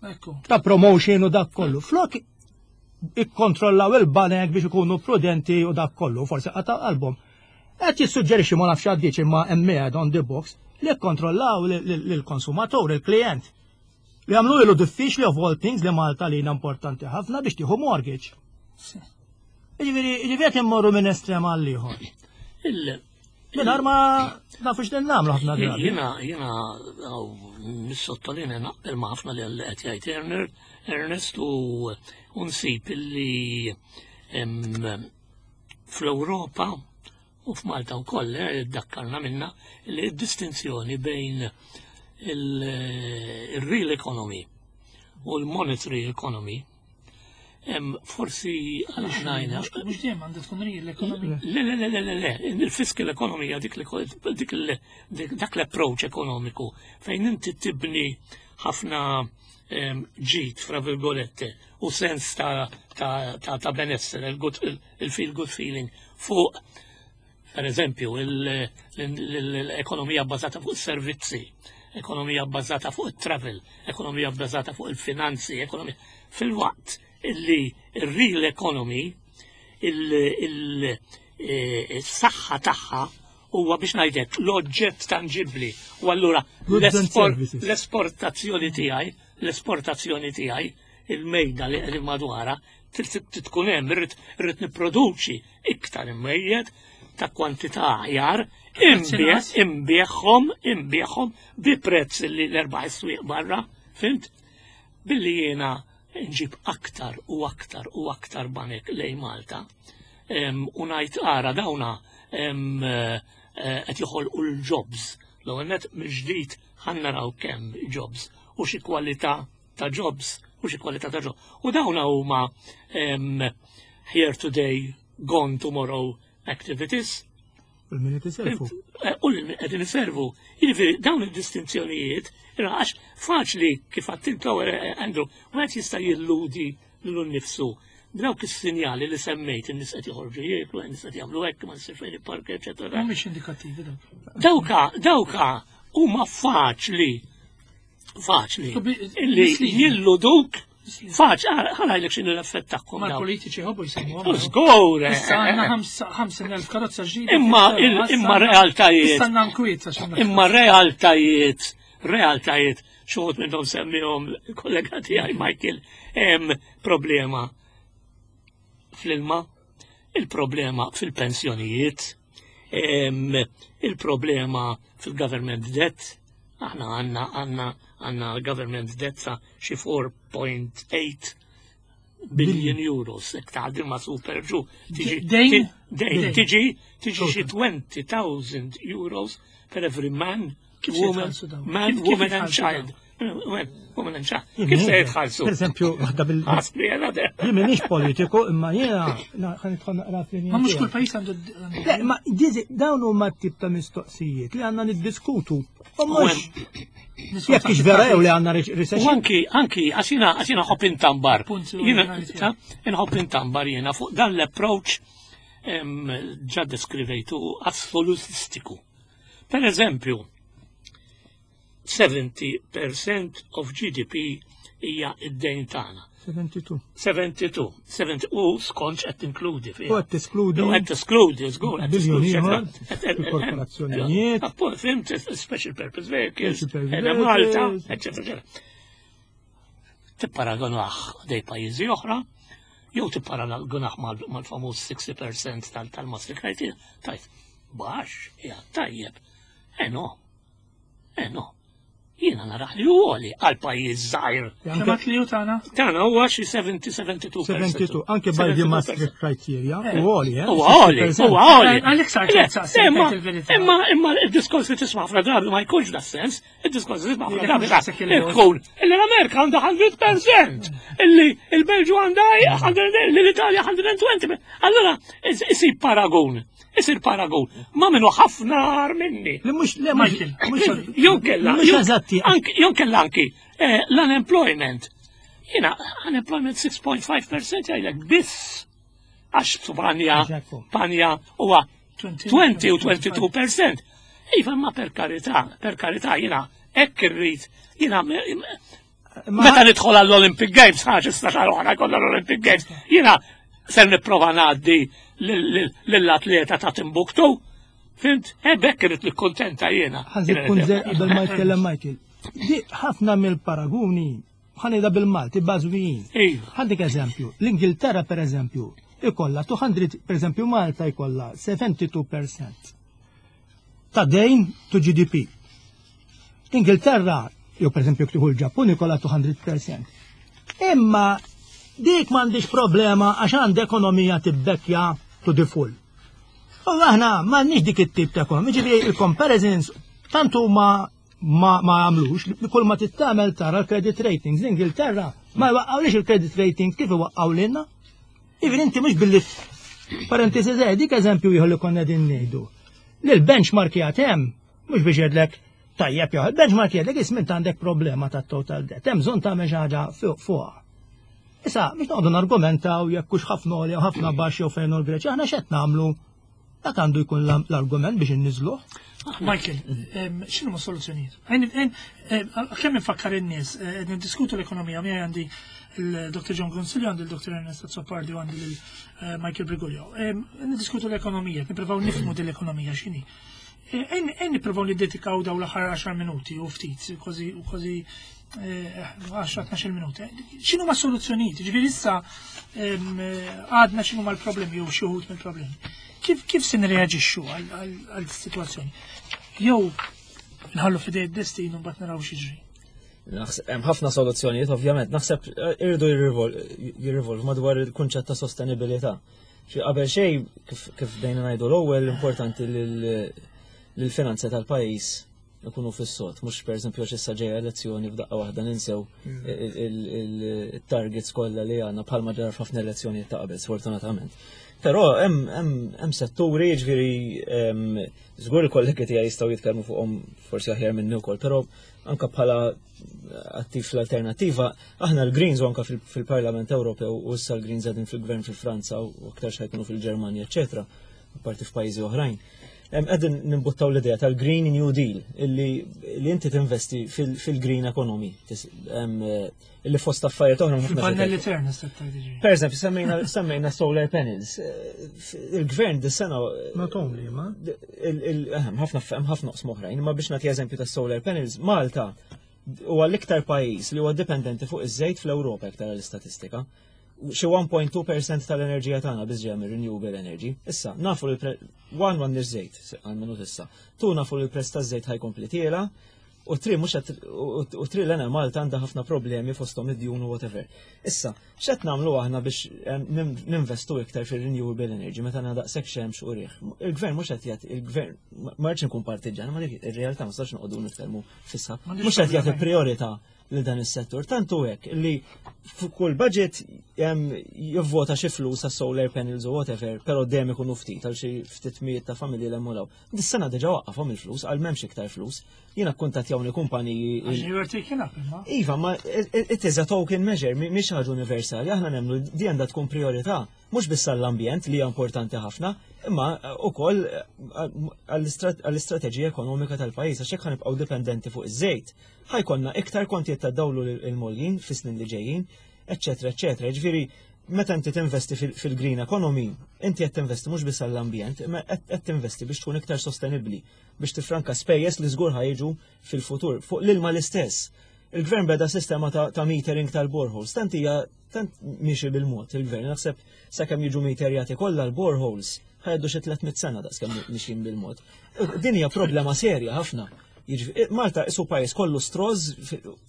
Ekku. ta' promotion u dak kollu. Flok ikkontrollaw il-banek biex ikunu prudenti u dak kollu, forsi qata' qalbhom. Qed jissuġġerixxi, ma nafx għaddiċ imma hemm on the box li kkontrollaw lill-konsumatur, il-klient. Li għamlu ilu diffiċli of all things li Malta li importanti ħafna biex tieħu mortgage. Sì. Ġifieri, ġifieri qed immorru minn estrem għal ieħor. Il- Mingħajr ma nafux li nagħmlu ħafna drabi. Jiena, jiena, għaw, nissottolinja naqbel ma' ħafna li qed jgħid Erner- Ernest u u nsib illi em, fl-Ewropa u f'Malta wkoll eh, dakkarna minna li d-distinzjoni bejn il-real economy u l-monetary economy em, forsi għalajna Mhux mhux dejjem għandha tkun real l-ekonomija. Le, le, le, le, le, le, il-fiscal economy hija dik li dik il- dik- dak l-approach ekonomiku fejn inti tibni ħafna em, ġid, fra virgolette, u sens ta', ta, ta, ta benessere, il-good- il-feel good feeling fuq, per eżempju, il- l-ekonomija bbażata fuq servizzi, ekonomija bbażata fuq il-travel, ekonomija bbażata fuq il-finanzi, ekonomija fil-waqt illi il-real economy, il-saħħa tagħha huwa, biex ngħidlek, l-oġġett tangibbli. U allura Goods and l-esport- services. l-esportazzjoni tiegħi, l-esportazzjoni tiegħi, il-mejda li qegħdin madwarha, trid tkun hemm, irrid irrid nipproduċi iktar imwejjed ta' kwantità aħjar, imbieħ, imbieħhom, imbieħhom bi prezz li l-erbaħ is-swieq barra, fhimt? Billi jiena nġib aktar u aktar u aktar banek lejn Malta, em, u ngħid ara dawna em, eh, eh, qed joħolqu l-jobs. L-ewwel net mill-ġdid ħa naraw kemm jobs u xi kwalità ta' jobs u xi kwalità ta' jobs. U dawna huma em, here today, gone tomorrow activities. U l-min iservu. Eh, U li qegħdin iservu. Jiġifieri dawn id-distinzjonijiet, għax faċli kif għattiltu, Andrew, wieħed jista' jilludi lilu nnifsu. Dawk is-sinjali li semmejt, in-nies qed joħorġu jieklu, in-nies qed jagħmlu hekk, ma nsirx fejn il-park, eċetera. Mhumiex indikattivi dawk. Dawka, dawka huma faċli, faċli, illi Misleading. jilluduk, faċli, ħa ngħidlek x'inhu l-effett tagħhom Ma dawn. l-politiċi ħobbu jsemmuhom. U żgur, eh, Issa għandna eh, ħamsin elf karozza ġdida. Imma il- imma realtajiet. Issa għandna nkwiet għax għandna- Imma realtajiet, realtajiet, xi wħud minnhom semmihom kollega tiegħi Michael, hemm problema fl-ilma, il-problema fil-pensjonijiet, em, il-problema fil-government debt, aħna għandna għandna għandna government debt sa xi four point eight billion euros, jekk taħdim ma' super ġu. Tiġi Dejn? ti- Dejn, Dejn. tiġi tiġi xi twenty thousand euros per every man, Kif se woman, jitħallsu dawn? man, Kif- kif woman and jitħallsu child. Woman, woman and child. Kif se jitħallsu? Per eżempju, waħda bil. Ħasbi jena de. Jien m'iniex politiku, imma jiena ħa nidħol naqra fl Ma mhux kull pajjiż għandu għandu- Le, ma dizi, dawn huma tip ta' mistoqsijiet li għandna niddiskutu. U mhux niswa jekk ix vera jew li għandna U recession. anki, anki, għaxina, għaxina nħobb intambar. Punt Jiena, oriġinali ta' nħobb intambar jiena fuq dan l-approach em, ġa deskrivejtu assolutistiku. Per eżempju, seventy percent of G D P hija id-dejn tagħna. seventy-two. seventy-two, seventy, u skont qed tinkludi fiha. U qed teskludi. U qed teskludi, żgur, qed Biljun teskludi, ieħor, eċetera. il-korporazzjonijiet. Appunto, fhimt, special purpose vehicles, Special purpose Ena Malta, vehicles. eccetera, eccetera. Tipparagonah dej pajjiżi oħra, jew tipparagonah mal- mal-famuż sixty percent tal- tal-Maastricht criteria, tajt, baxx, ja, tajjeb. Eh no, eh no. Jiena naraħ li għoli għal pajjiż żgħir. Kemm għat li hu tagħna? Tagħna huwa xi seventy seventy-two percent. seventy-two, anke by the Maastricht criteria, u għoli, eh? Huwa għoli, huwa għoli. Għalhekk sart Le, saqsejt Imma, il-verità. imma, imma il-diskors li tisma' ħafna drabi ma jkunx da sens, il-diskors li tisma' ħafna Jekk drabi mhux daqshekk il-vot. ikun illi l-Amerika għandha mija fil-mija, illi il-Belġu għandha mija, li l-Italja mija u għoxrin. Allora, isir paragun, isir paragun, ma minnu ħafna agħar minni. Li mhux, le, mhux, Michael. mhux, Jew kella, mhux jew- eżatti. anki- Jew kella anki eh, l-unemployment. Jiena, unemployment six point five percent jgħidlek biss. Għax Spanja, Eżattu. Spanja huwa twenty, twenty u twenty-two percent. Iva, ma per karità, per karità, jiena, hekk irrid, jiena, meta nidħol għall-Olympic Games, ħaġa sta xahar oħra jkollna l-Olympic Games, jiena ser nipprova ngħaddi lill-atleta ta' Timbuktu. Fhimt? E bekk irrid nikkuntenta jiena. Ħa nżid punt qabel ma jitkellem Michael. Di ħafna mill-paraguni, ħa ngħidha bil-Malti, bażwijin. Iva. Għandek eżempju, l-Ingilterra per eżempju, ikolla two hundred, per eżempju Malta ikolla seventy-two percent ta' dejn to G D P. L-Ingilterra, jew per eżempju tieħu l-Ġappun, ikolla two hundred percent. Imma dik m'għandix problema għax għand ekonomija tibbekkja to the full. U aħna m'għandniex dik it-tip ta' ekonomija, ġifieri il-comparisons tant huma ma ma għamlux, li kull ma tittamel tara l-credit ratings. L-Ingilterra ma jwaqqawlix il-credit rating kif iwaqqaw lilna. Ġifieri inti mhux billi parentesi żgħir, dik eżempju ieħor li konna din ngħidu. Li l-benchmark jagħti hemm mhux biex jgħidlek Tajjeb jew benchmark jgħidlek isma' għandek problema ta' total debt, hemm bżonn tagħmel xi ħaġa fuqha. Issa, biex noqogħdu nargumentaw jekk hux ħafna jew ħafna baxx jew fejn l-Greċja, aħna x'qed nagħmlu? Dak għandu jkun l-argument biex inniżluh. Michael, x'inhuma soluzzjonijiet? Kemm infakkar in-nies, qed niddiskutu l-ekonomija, miegħi għandi il-Dottor John Consiglio, għandi il-Dottor Ernest Azzopardi u għandi il-Michael Briguglio. Niddiskutu l-ekonomija, nippruvaw nifhmu din l-ekonomija x'inhi. Ejja nippruvaw niddedikaw daw l-aħħar għaxar minuti u ftit, kważi kważi għaxra tnax-il minuti. X'inhuma soluzzjonijiet? Ġifieri issa għadna x'inhuma l-problemi jew xi wħud mill-problemi. Kif kif se nirreaġixxu għal sitwazzjoni? Jew nħallu f'idej id-destin u mbagħad naraw x'jiġri. Hemm ħafna soluzzjonijiet, ovvjament. Naħseb irridu jirrivolv madwar il-kunċett ta' sostenibilità. Xi qabel xejn, kif bdejna ngħidu l-ewwel, importanti li l-finanzi tal-pajjiż ikunu fis-sod, mhux pereżempju għax issa ġejja elezzjoni f'daqqa waħda ninsew il-targets kollha li għandna, bħalma ġara f'ħafna elezzjonijiet ta' qabel, sfortunatament. Però hemm setturi, ġifieri żgur il-kollegi tiegħi jistgħu jitkellmu fuqhom forsi aħjar minni wkoll, però anka bħala attiv fl-Alternattiva, aħna l-Greens u anka fil-Parlament Ewropew u issa l-Greens qegħdin fil-gvern fil-Franza u aktar x'ħa jkunu fil-Ġermanja, eċetera, apparti f'pajjiżi oħrajn. Qegħdin nimbuttaw l-idea tal-Green New Deal, illi li inti tinvesti fil-green economy, illi fost affarijiet oħra. Fil-pannelli. Per eżempju, semmejna semmejna solar panels. Il-gvern dis-sena. Not only, ma. Ħafna ħafna oqsma oħrajn, ma biex nagħti eżempju ta' solar panels, Malta huwa l-iktar pajjiż li huwa dipendenti fuq iż-żejt fl-Ewropa iktar l-istatistika. Xi wieħed punt tnejn fil-mija tal-enerġija tagħna biss ġejja mir renewable energy. Issa, nafu li one m'għandniex żejt għal issa. Two, nafu li l-prezz taż-żejt ħa jkompli tiela', u three mhux u three l-Enemalta għandha ħafna problemi fosthom id-djun u whatever. Issa, x'qed nagħmlu aħna biex ninvestu iktar fir-renewable energy meta għandna daqshekk xemx u riħ? Il-gvern mhux qed jagħti, il-gvern, ma rridx nkun partiġan, ma dik ir-realtà, ma nistax noqogħdu nitkellmu fissa. Mhux qed jagħti priorità li dan is-settur. Tantu hekk li f'kull budget jivvota xi flus għas solar panels u whatever, però dejjem ikunu ftit għal xi ftit mijiet ta' familji l emmulaw. Dis-sena diġà waqqafhom il-flus, għal m'hemmx iktar flus. Jiena kkuntattjawni kumpaniji. Iva, ma it is a token measure, mhix ħaġa universali, aħna nemmnu di għandha tkun priorità, mhux biss għall-ambjent li hija importanti ħafna, imma ukoll għall-istrateġija ekonomika tal-pajjiż, għax hekk ħa nibqgħu dipendenti fuq iż-żejt, ħa jkollna iktar kontijiet ta' dawlu l-għoljin fis-snin li ġejjin, eċetera, eċetera. Ġifieri, meta inti tinvesti fil-green economy, inti qed tinvesti mhux biss għall-ambjent, imma qed tinvesti biex tkun iktar sostenibbli, biex tifranka spejjeż li żgur ħa jiġu fil-futur. Fuq l-ilma l-istess. Il-gvern beda sistema ta', ta metering tal-boreholes. Tant hija tant miexi bil-mod il-gvern. Naħseb sakemm jiġu meterjati kollha l-boreholes, ħa jgħaddu xi tliet mitt sena daqskemm mixjin bil-mod. Din hija problema serja ħafna. Malta isu pajjiż kollu straws,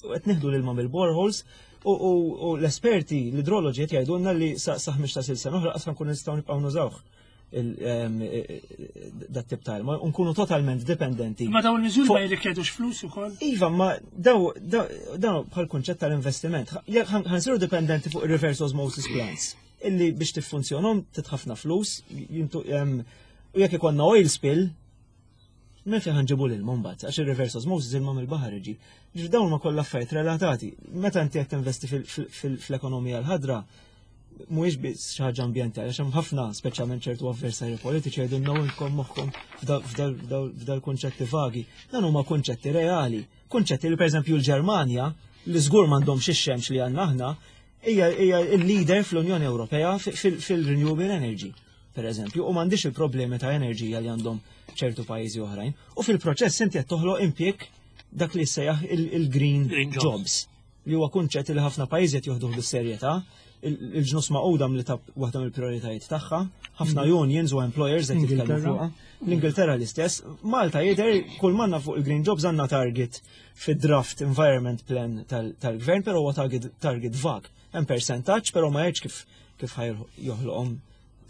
qed nieħdu l-ilma mill-boreholes u l-esperti, l-idroloġi qed jgħidulna li sa ħmistax-il sena oħra qas nkun nistgħu nibqgħu nużawh dat tip ta' ilma, nkunu totalment dipendenti. Ma dawn il-miżuri ma jirrikjedux flus ukoll? Iva, ma daw daw bħal kunċett tal-investiment. Ħa nsiru dipendenti fuq reverse osmosis plants illi biex tiffunzjonhom trid ħafna flus, u jekk ikollna oil spill, minn fejn ħa nġibu l-ilma mbagħad, għax il-reverse osmosis ilma mill-baħar iġi. Ġifieri dawn ma kollha affarijiet relatati. Meta inti qed tinvesti fl-ekonomija l-ħadra, mhuwiex biss xi ħaġa ambjentali, għax hemm ħafna, speċjalment ċertu avversarji politiċi, jgħidulna inkom moħħkom f'dal kunċetti vagi. Dan huma kunċetti reali. Kunċetti li pereżempju l-Ġermanja, li żgur m'għandhomx ix-xemx li għandna aħna, hija il-leader fl-Unjoni Ewropea fil-renewable energy, per eżempju, u m'għandix il-problemi ta' enerġija li għandhom ċertu pajjiżi oħrajn. U fil-proċess inti qed toħloq impjieg, dak li sejjaħ il-green jobs, li huwa kunċett li ħafna pajjiżi qed joħduh bis-serjetà. Il-Ġnus Magħquda li ta' waħda mill-prioritajiet tagħha, ħafna mm. unions u employers qed jitkellmu fuqha. L-Ingilterra l-istess. Malta jidher kull m'għandna fuq il-green jobs għandna target fid-draft environment plan tal-gvern, però huwa target, target vag. Hemm percentaġġ, però ma jgħidx kif kif joħloqhom,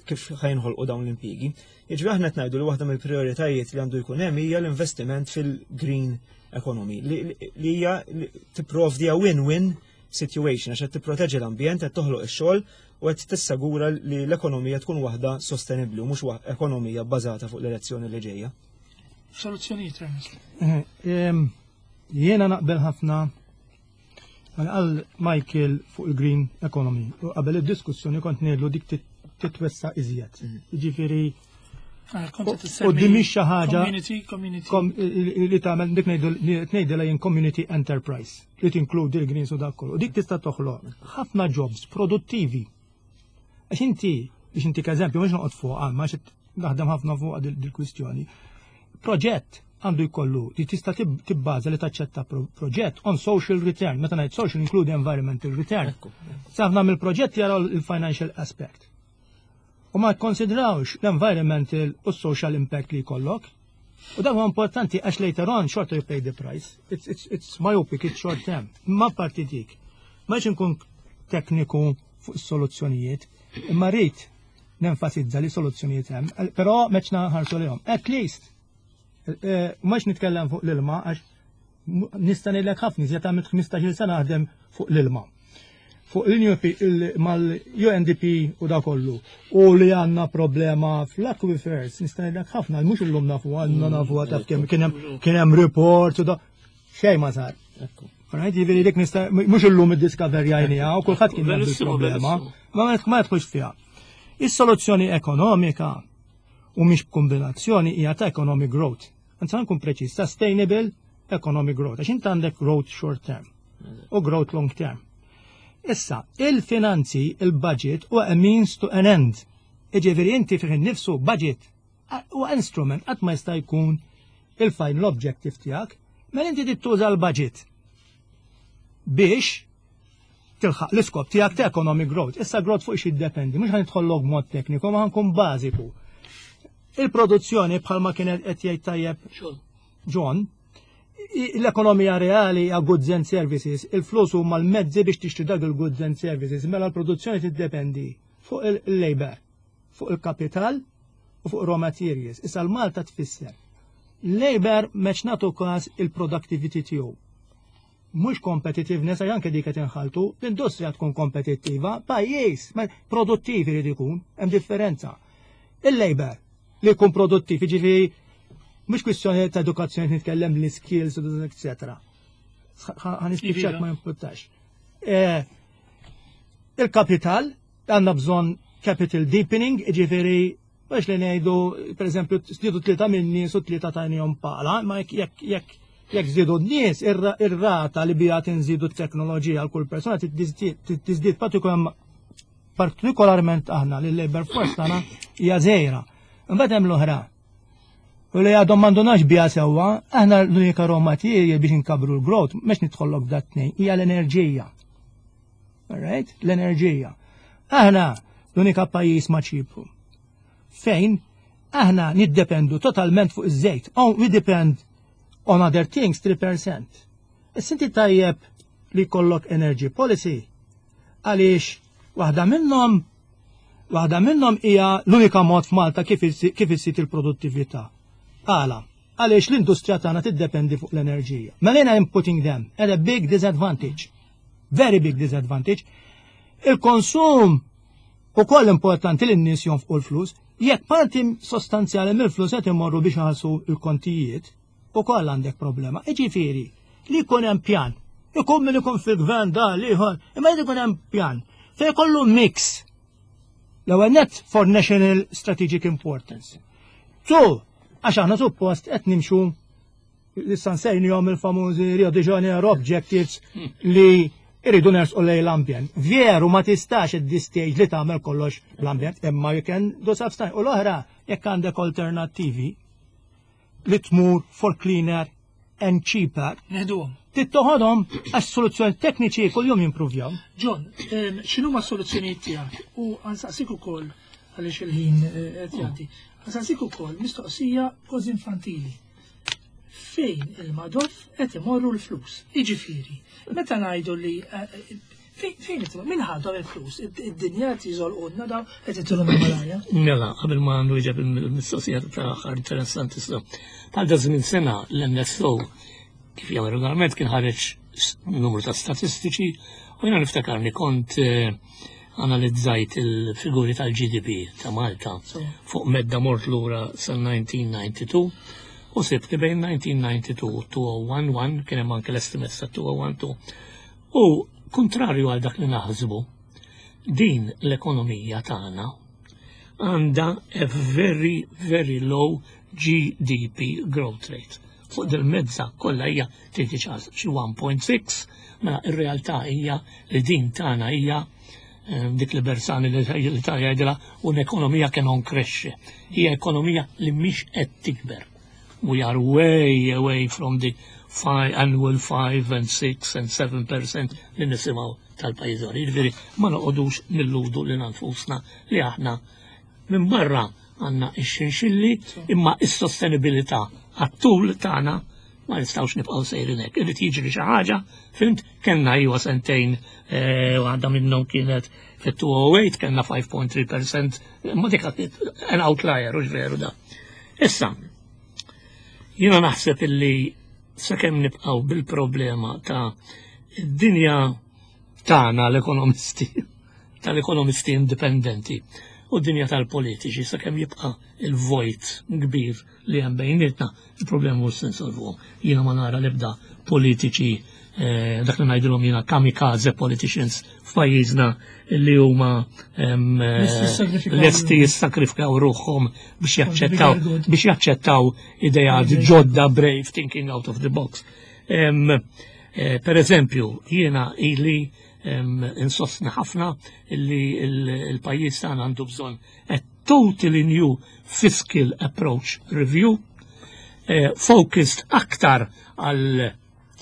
kif ħa jinħolqu dawn l-impjiegi. Jiġri aħna qed ngħidu li waħda mill-prioritajiet li għandu jkun hemm hija l-investiment fil-green economy li hija tipprovdi win-win situation għax qed tipproteġi l-ambjent, qed toħloq ix-xogħol u qed tissagura li l-ekonomija tkun waħda sostenibbli u mhux ekonomija bbażata fuq l-elezzjoni li ġejja. Soluzzjonijiet, Ernest. Eh, em, Jiena naqbel ħafna għal Michael fuq il-green economy. U qabel id-diskussjoni kont ngħidlu dik tit- titwessa iżjed. Jiġifieri Ah, kont qed U issemmi di mhix xi ħaġa Community, community. kom- li tagħmel dik ngħidu li ngħidilha jien community enterprise li tinkludi l-greens u dak kollu. U dik tista' toħloq ħafna jobs produttivi. Għax inti, biex inti eżempju, mhux noqgħod fuq għal, għax naħdem ħafna fuq dil-kwistjoni. Proġett għandu jkollu li tista' tib- tibbaża li taċċetta pro- proġett on social return. Meta ngħid social include environmental return. Ħafna mill-proġett jaraw il-financial aspect. U ma konsidrawx l-environmental u social impact li jkollok. U dak huwa importanti għax later on short you pay the price. It's, it's, it's myopic, it's short term. Ma parti dik. Ma nkun tekniku fuq is-soluzzjonijiet, imma rrid nenfasizza li soluzzjonijiet hemm, però meċna ħarsu lihom. At least, eh, mhux nitkellem fuq l-ilma għax nista' ngħidlek ħafna iżjed għamilt ħmistax-il sena naħdem fuq l-ilma. Fuq il-U N P mal-U N D P u da kollu. U li għandna problema fl-aquifers, nista' ngħidlek ħafna, mhux illum nafu, għandna nafu taf kemm kien hemm kien hemm report u da xejn ma sar. Right, jiġifieri dik nista' mhux illum iddiscoverjajniha u kulħadd kien jaf Verissimo, il-problema. verissimo. Ma ma jidħolx fiha. Is-soluzzjoni ekonomika u mhix b'kombinazzjoni hija ta' economic growth. Anzi, nkun preċiż, sustainable economic growth. Għax inti għandek growth short term u growth long term. Issa, il-finanzi, il-budget u a means to an end. Iġifieri inti fih innifsu budget u instrument qatt ma jista' jkun il-final objective tiegħek, mela inti tittuża l-budget biex tilħaq l-iskop tiegħek ta' economic growth. Issa growth fuq xi jiddependi, mhux ħa nidħollok mod tekniku, ma ħa nkun bażiku. Il-produzzjoni, bħalma kienet qed jgħid tajjeb John, i- l-ekonomija reali hija goods and services, il-flus huma l-mezzi biex tixtri dak il-goods and services, mela l-produzzjoni tiddependi fuq il-labor, fuq il-kapital u fuq raw materials. Issa l-Malta tfisser. Labor meċ nagħtu każ il-productivity tiegħu. Mhux competitiveness, għax anke dik qed inħaltu, l-industrija tkun kompetittiva, pajjiż ma produttiv irid ikun, hemm differenza. Il-labor li jkun produttiv, jiġifieri mhux kwistjoni ta' edukazzjoni, nitkellem li skills, eccetera. Ħa nispiċċak, ma jimpurtax. Eh, Il-kapital, għandna bżonn capital deepening, ġifieri biex li ngħidu, per eżempju, żdiedu tlieta minn nies u tlieta tajnihom pala, ma jekk jekk jekk jekk żdiedu n-nies, ir-rata li bija tinżidu t-teknoloġija għal kull persona tiżdied, partikolarment aħna li l-labor force tagħna hija żgħira. Imbagħad hemm l-oħra. U li għadhom m'għandunax bija sewwa, aħna l-unika raw material biex inkabru l-growth, mhux nidħollok dat tnejn, hija l-enerġija. Alright? L-enerġija. Aħna l-unika pajjiż ma' Ċipru fejn aħna niddependu totalment fuq iż-żejt. Oh, we depend on other things three percent. Issa inti tajjeb li jkollok energy policy għaliex waħda minnhom waħda minnhom hija l-unika mod f'Malta kif kif issir il-produttività. Għala, għaliex l-industrija tagħna tiddependi fuq l-enerġija. Mela I'm putting them at a big disadvantage. Very big disadvantage. Il-konsum u koll importanti li n-nies jonfqu l-flus, jekk parti sostanzjali mill-flus qed imorru biex iħallsu l-kontijiet, ukoll għandek problema. Iġifieri, li jkun hemm pjan. Ikun min ikun fil-gvern da liħor, imma jrid ikun hemm pjan. Fejn kollu mix. L-ewwel net for national strategic importance. Two, għax aħna suppost qed nimxu issa nsejnihom il-famużi Rio de Janeiro objectives li irridu nersqu lejn l-ambjent. Veru ma tistax at this stage li tagħmel kollox l-ambjent, imma you can do substance. U l-oħra, jekk għandek alternattivi li tmur for cleaner and cheaper, Neħduhom. tittoħodhom għax soluzzjoni tekniċi kuljum jimprovjaw. John, em, x'inhuma s-soluzzjonijiet tiegħek? U ħa nsaqsik ukoll għaliex il-ħin eh, qed jgħaddi. Ħa nsaqsik ukoll mistoqsija kważi infantili. Fejn il-Madoff qed imorru l-flus? Jiġifieri, meta ngħidu li eh, eh, fejn fejn qed min ħadhom il-flus? Id-dinja qed jiżolqulna daw qed itilhom il-malarja. Mela, qabel ma nwieġeb il-mistoqsija tal-aħħar interessanti issa. Bħal da żmien sena l-N S O kif jagħmel regolarment kien ħareġ numru ta' statistiċi u jiena niftakarni kont eh, analizzajt il-figuri tal-G D P ta' Malta fuq medda mort lura sal-elf disa' mija u tnejn u disgħin u U sibt li bejn nineteen ninety-two u two oh one one, kien hemm anke l-estimates ta' two oh one two. U kontrarju għal dak li naħsbu, din l-ekonomija tagħna għandha a very, very low G D P growth rate. Fuq dil-mezza kollha hija trid tiċas xi one point six, mela ir-realtà hija li din tagħna hija, eh, dik li Bersani li l-Italja jgħidilha un'ekonomija che non cresce. Hija ekonomija li mhix qed tikber. We are way away from the five, annual five and six and seven percent li nisimgħu tal-pajjiż. Jiġifieri ma noqogħdux nilludu lil nfusna li aħna minn barra għandna x-xinxilli, imma s-sostenibilità għat-tul tagħna ma nistgħux nibqgħu sejrin hekk. Irid jiġri xi ħaġa, fimt, kellna iwa sentejn, eh, waħda minnhom kienet fit-two oh eight, kellna five point three percent, ma dik an outlier, hux veru da. Issa, jiena naħseb illi sakemm nibqgħu bil-problema ta' id-dinja tagħna l-ekonomisti, tal-ekonomisti indipendenti, u d-dinja tal-politiċi, sakemm jibqa' il-vojt kbir li hemm bejnietna, il-problema mhux se nsolvuhom. Jiena ma nara l-ebda politiċi, eh, dak li ngħidilhom jiena kamikaze politicians f'pajjiżna li huma, em, Lesti jissagrifikaw lesti jissagrifikaw ruħhom biex For the jaċċettaw bigger good. biex jaċċettaw ideat Ideat. ġodda, brave thinking out of the box. Em, eh, per eżempju, jiena ili em, insostni ħafna illi il-, il-pajjiż tagħna għandu bżonn a totally new fiscal approach review, eh, focused aktar għal,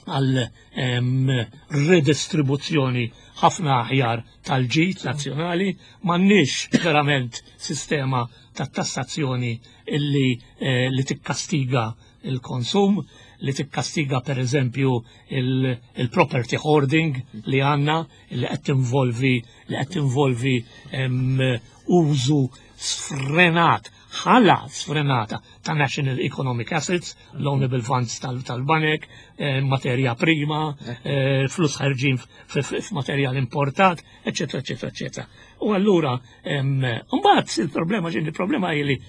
għal, em, redistribuzzjoni ħafna aħjar tal-ġid nazzjonali. M'għandniex verament sistema ta' tassazzjoni illi, eh, li tikkastiga il-konsum, li tikkastiga per eżempju il-, il-property hoarding li għanna, li qed tinvolvi, li qed tinvolvi, em, użu sfrenat, ħala sfrenata ta' national economic assets, loanable funds tal-, tal-banek, eh, materja prima, eh, flus ħarġin f-, f-, f'materjal importat, eccetera, eccetera, eccetera. U allura, em, mbagħad il-problema ġin, il-problema hi li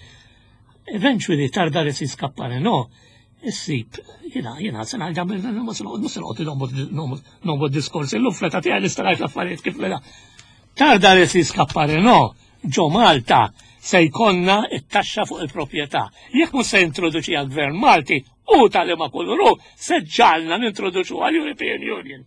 eventually tarda li si skappare, no? Issib, jena, jena, sena għal ġamil, mhux se noqgħod, mhux se noqgħod nomod diskors, illum fleta tiegħi nista' ngħid l-affarijiet kif leda. Tarda li si skappare, no? Ġo Malta se jkollna it-taxxa fuq il-proprjetà. Jekk mhux se jintroduċi għall-Gvern Malti u tal-ima kullu, se ġalna nintroduċu għall-European Union.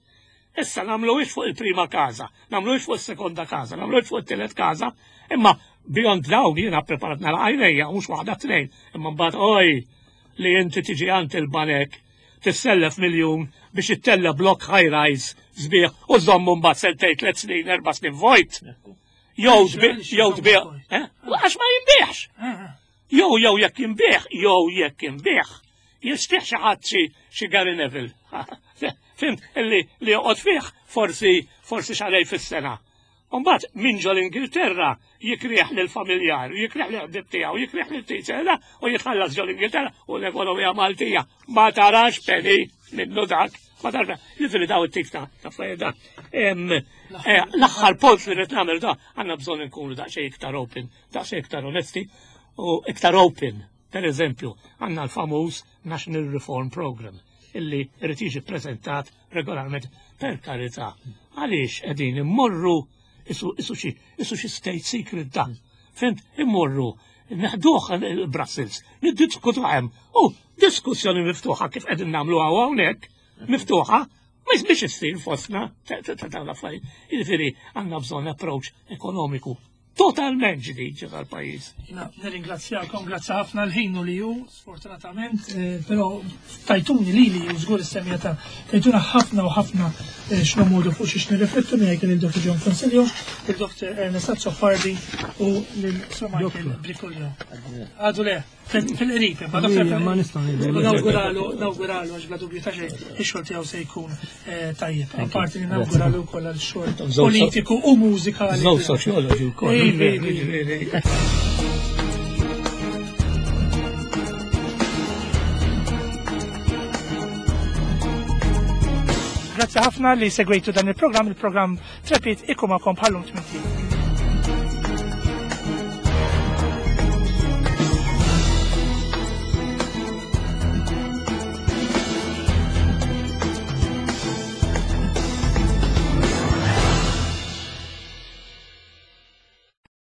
Issa nagħmluhiex fuq il-prima każa, nagħmluhiex fuq is-sekonda każa, nagħmluhiex fuq it-tielet każa, imma beyond dawn jiena preparat nara għajnejja, mhux waħda tnejn, imma mbagħad oj li inti tiġi għand il-banek tissellef miljun biex ittella blok high rise sbieħ u żommu mbagħad sentejn, tliet snin, erba' snin vojt. Jew Għaliex, tbi-, għaliex jew jżommu tbieħ, vojt? eh? Għax ma jinbieħx. Eh, eh. Jew, jew jekk jinbieħ, jew jekk jinbieħ, jixtieq xi ħadd xi, xi Gary Neville. Fimt, li, li joqgħod fih forsi, forsi xarej fis-sena. Mbagħad min ġol Ingilterra jikrieħ lill-familjar, jikrieħ lill-ħbieb tiegħu, jikrieħ lill-teacher, u jitħallas ġol Ingilterra u l-ekonomija Maltija ma tarax penny minnu dak. Ma tarax. Jiġifieri daw it-tip ta' ta' affarijiet da. Em, eh, l-aħħar punt li rrid nagħmel da, għandna bżonn inkunu daqsxejn iktar open, daqsxejn iktar onesti u iktar open. Per eżempju, għandna l-famuż National Reform Program illi irid jiġi ppreżentat regolarment. Per karità, għaliex qegħdin immorru isu, isu xi, isu xi state secret dan. Fint, immorru neħduh Brussels, niddiskutu hemm. U diskussjoni miftuħa kif qegħdin nagħmlu hawnhekk, miftuħa, ma biex issir fostna ta' ta' ta' dawn l-affarijiet. Jiġifieri għandna bżonn approach ekonomiku totalment ġdid ġo tal-pajjiż. Jiena nirringrazzjakom, grazzi ħafna l-ħin li ju, sfortunatament, eh, però tajtuni li li żgur is-semja ta' tajtuna ħafna u ħafna, eh, x'nomodu fuq xiex nirriflettu miegħek lil Doctor John Consiglio, lil Doctor Ernest Azzopardi u lil Sir Michael Doktor. Briguglio. Għadu le, fil-, fil-qrib, imma Doctor Ija, ma nistgħu ngħidu. U nawguralu, nawguralu għax bla dubju ta' xejn, ix-xogħol tiegħu se jkun, eh, tajjeb. Thank you. Apparti li nawguralu wkoll għal xogħol Żewġ so- politiku u mużikali. Żewġ soċjoloġi wkoll. Ej, ej, ej, ej. Grazzi ħafna li segwejtu dan il-programm, il-programm Trepit ikun magħkom bħallum tmien.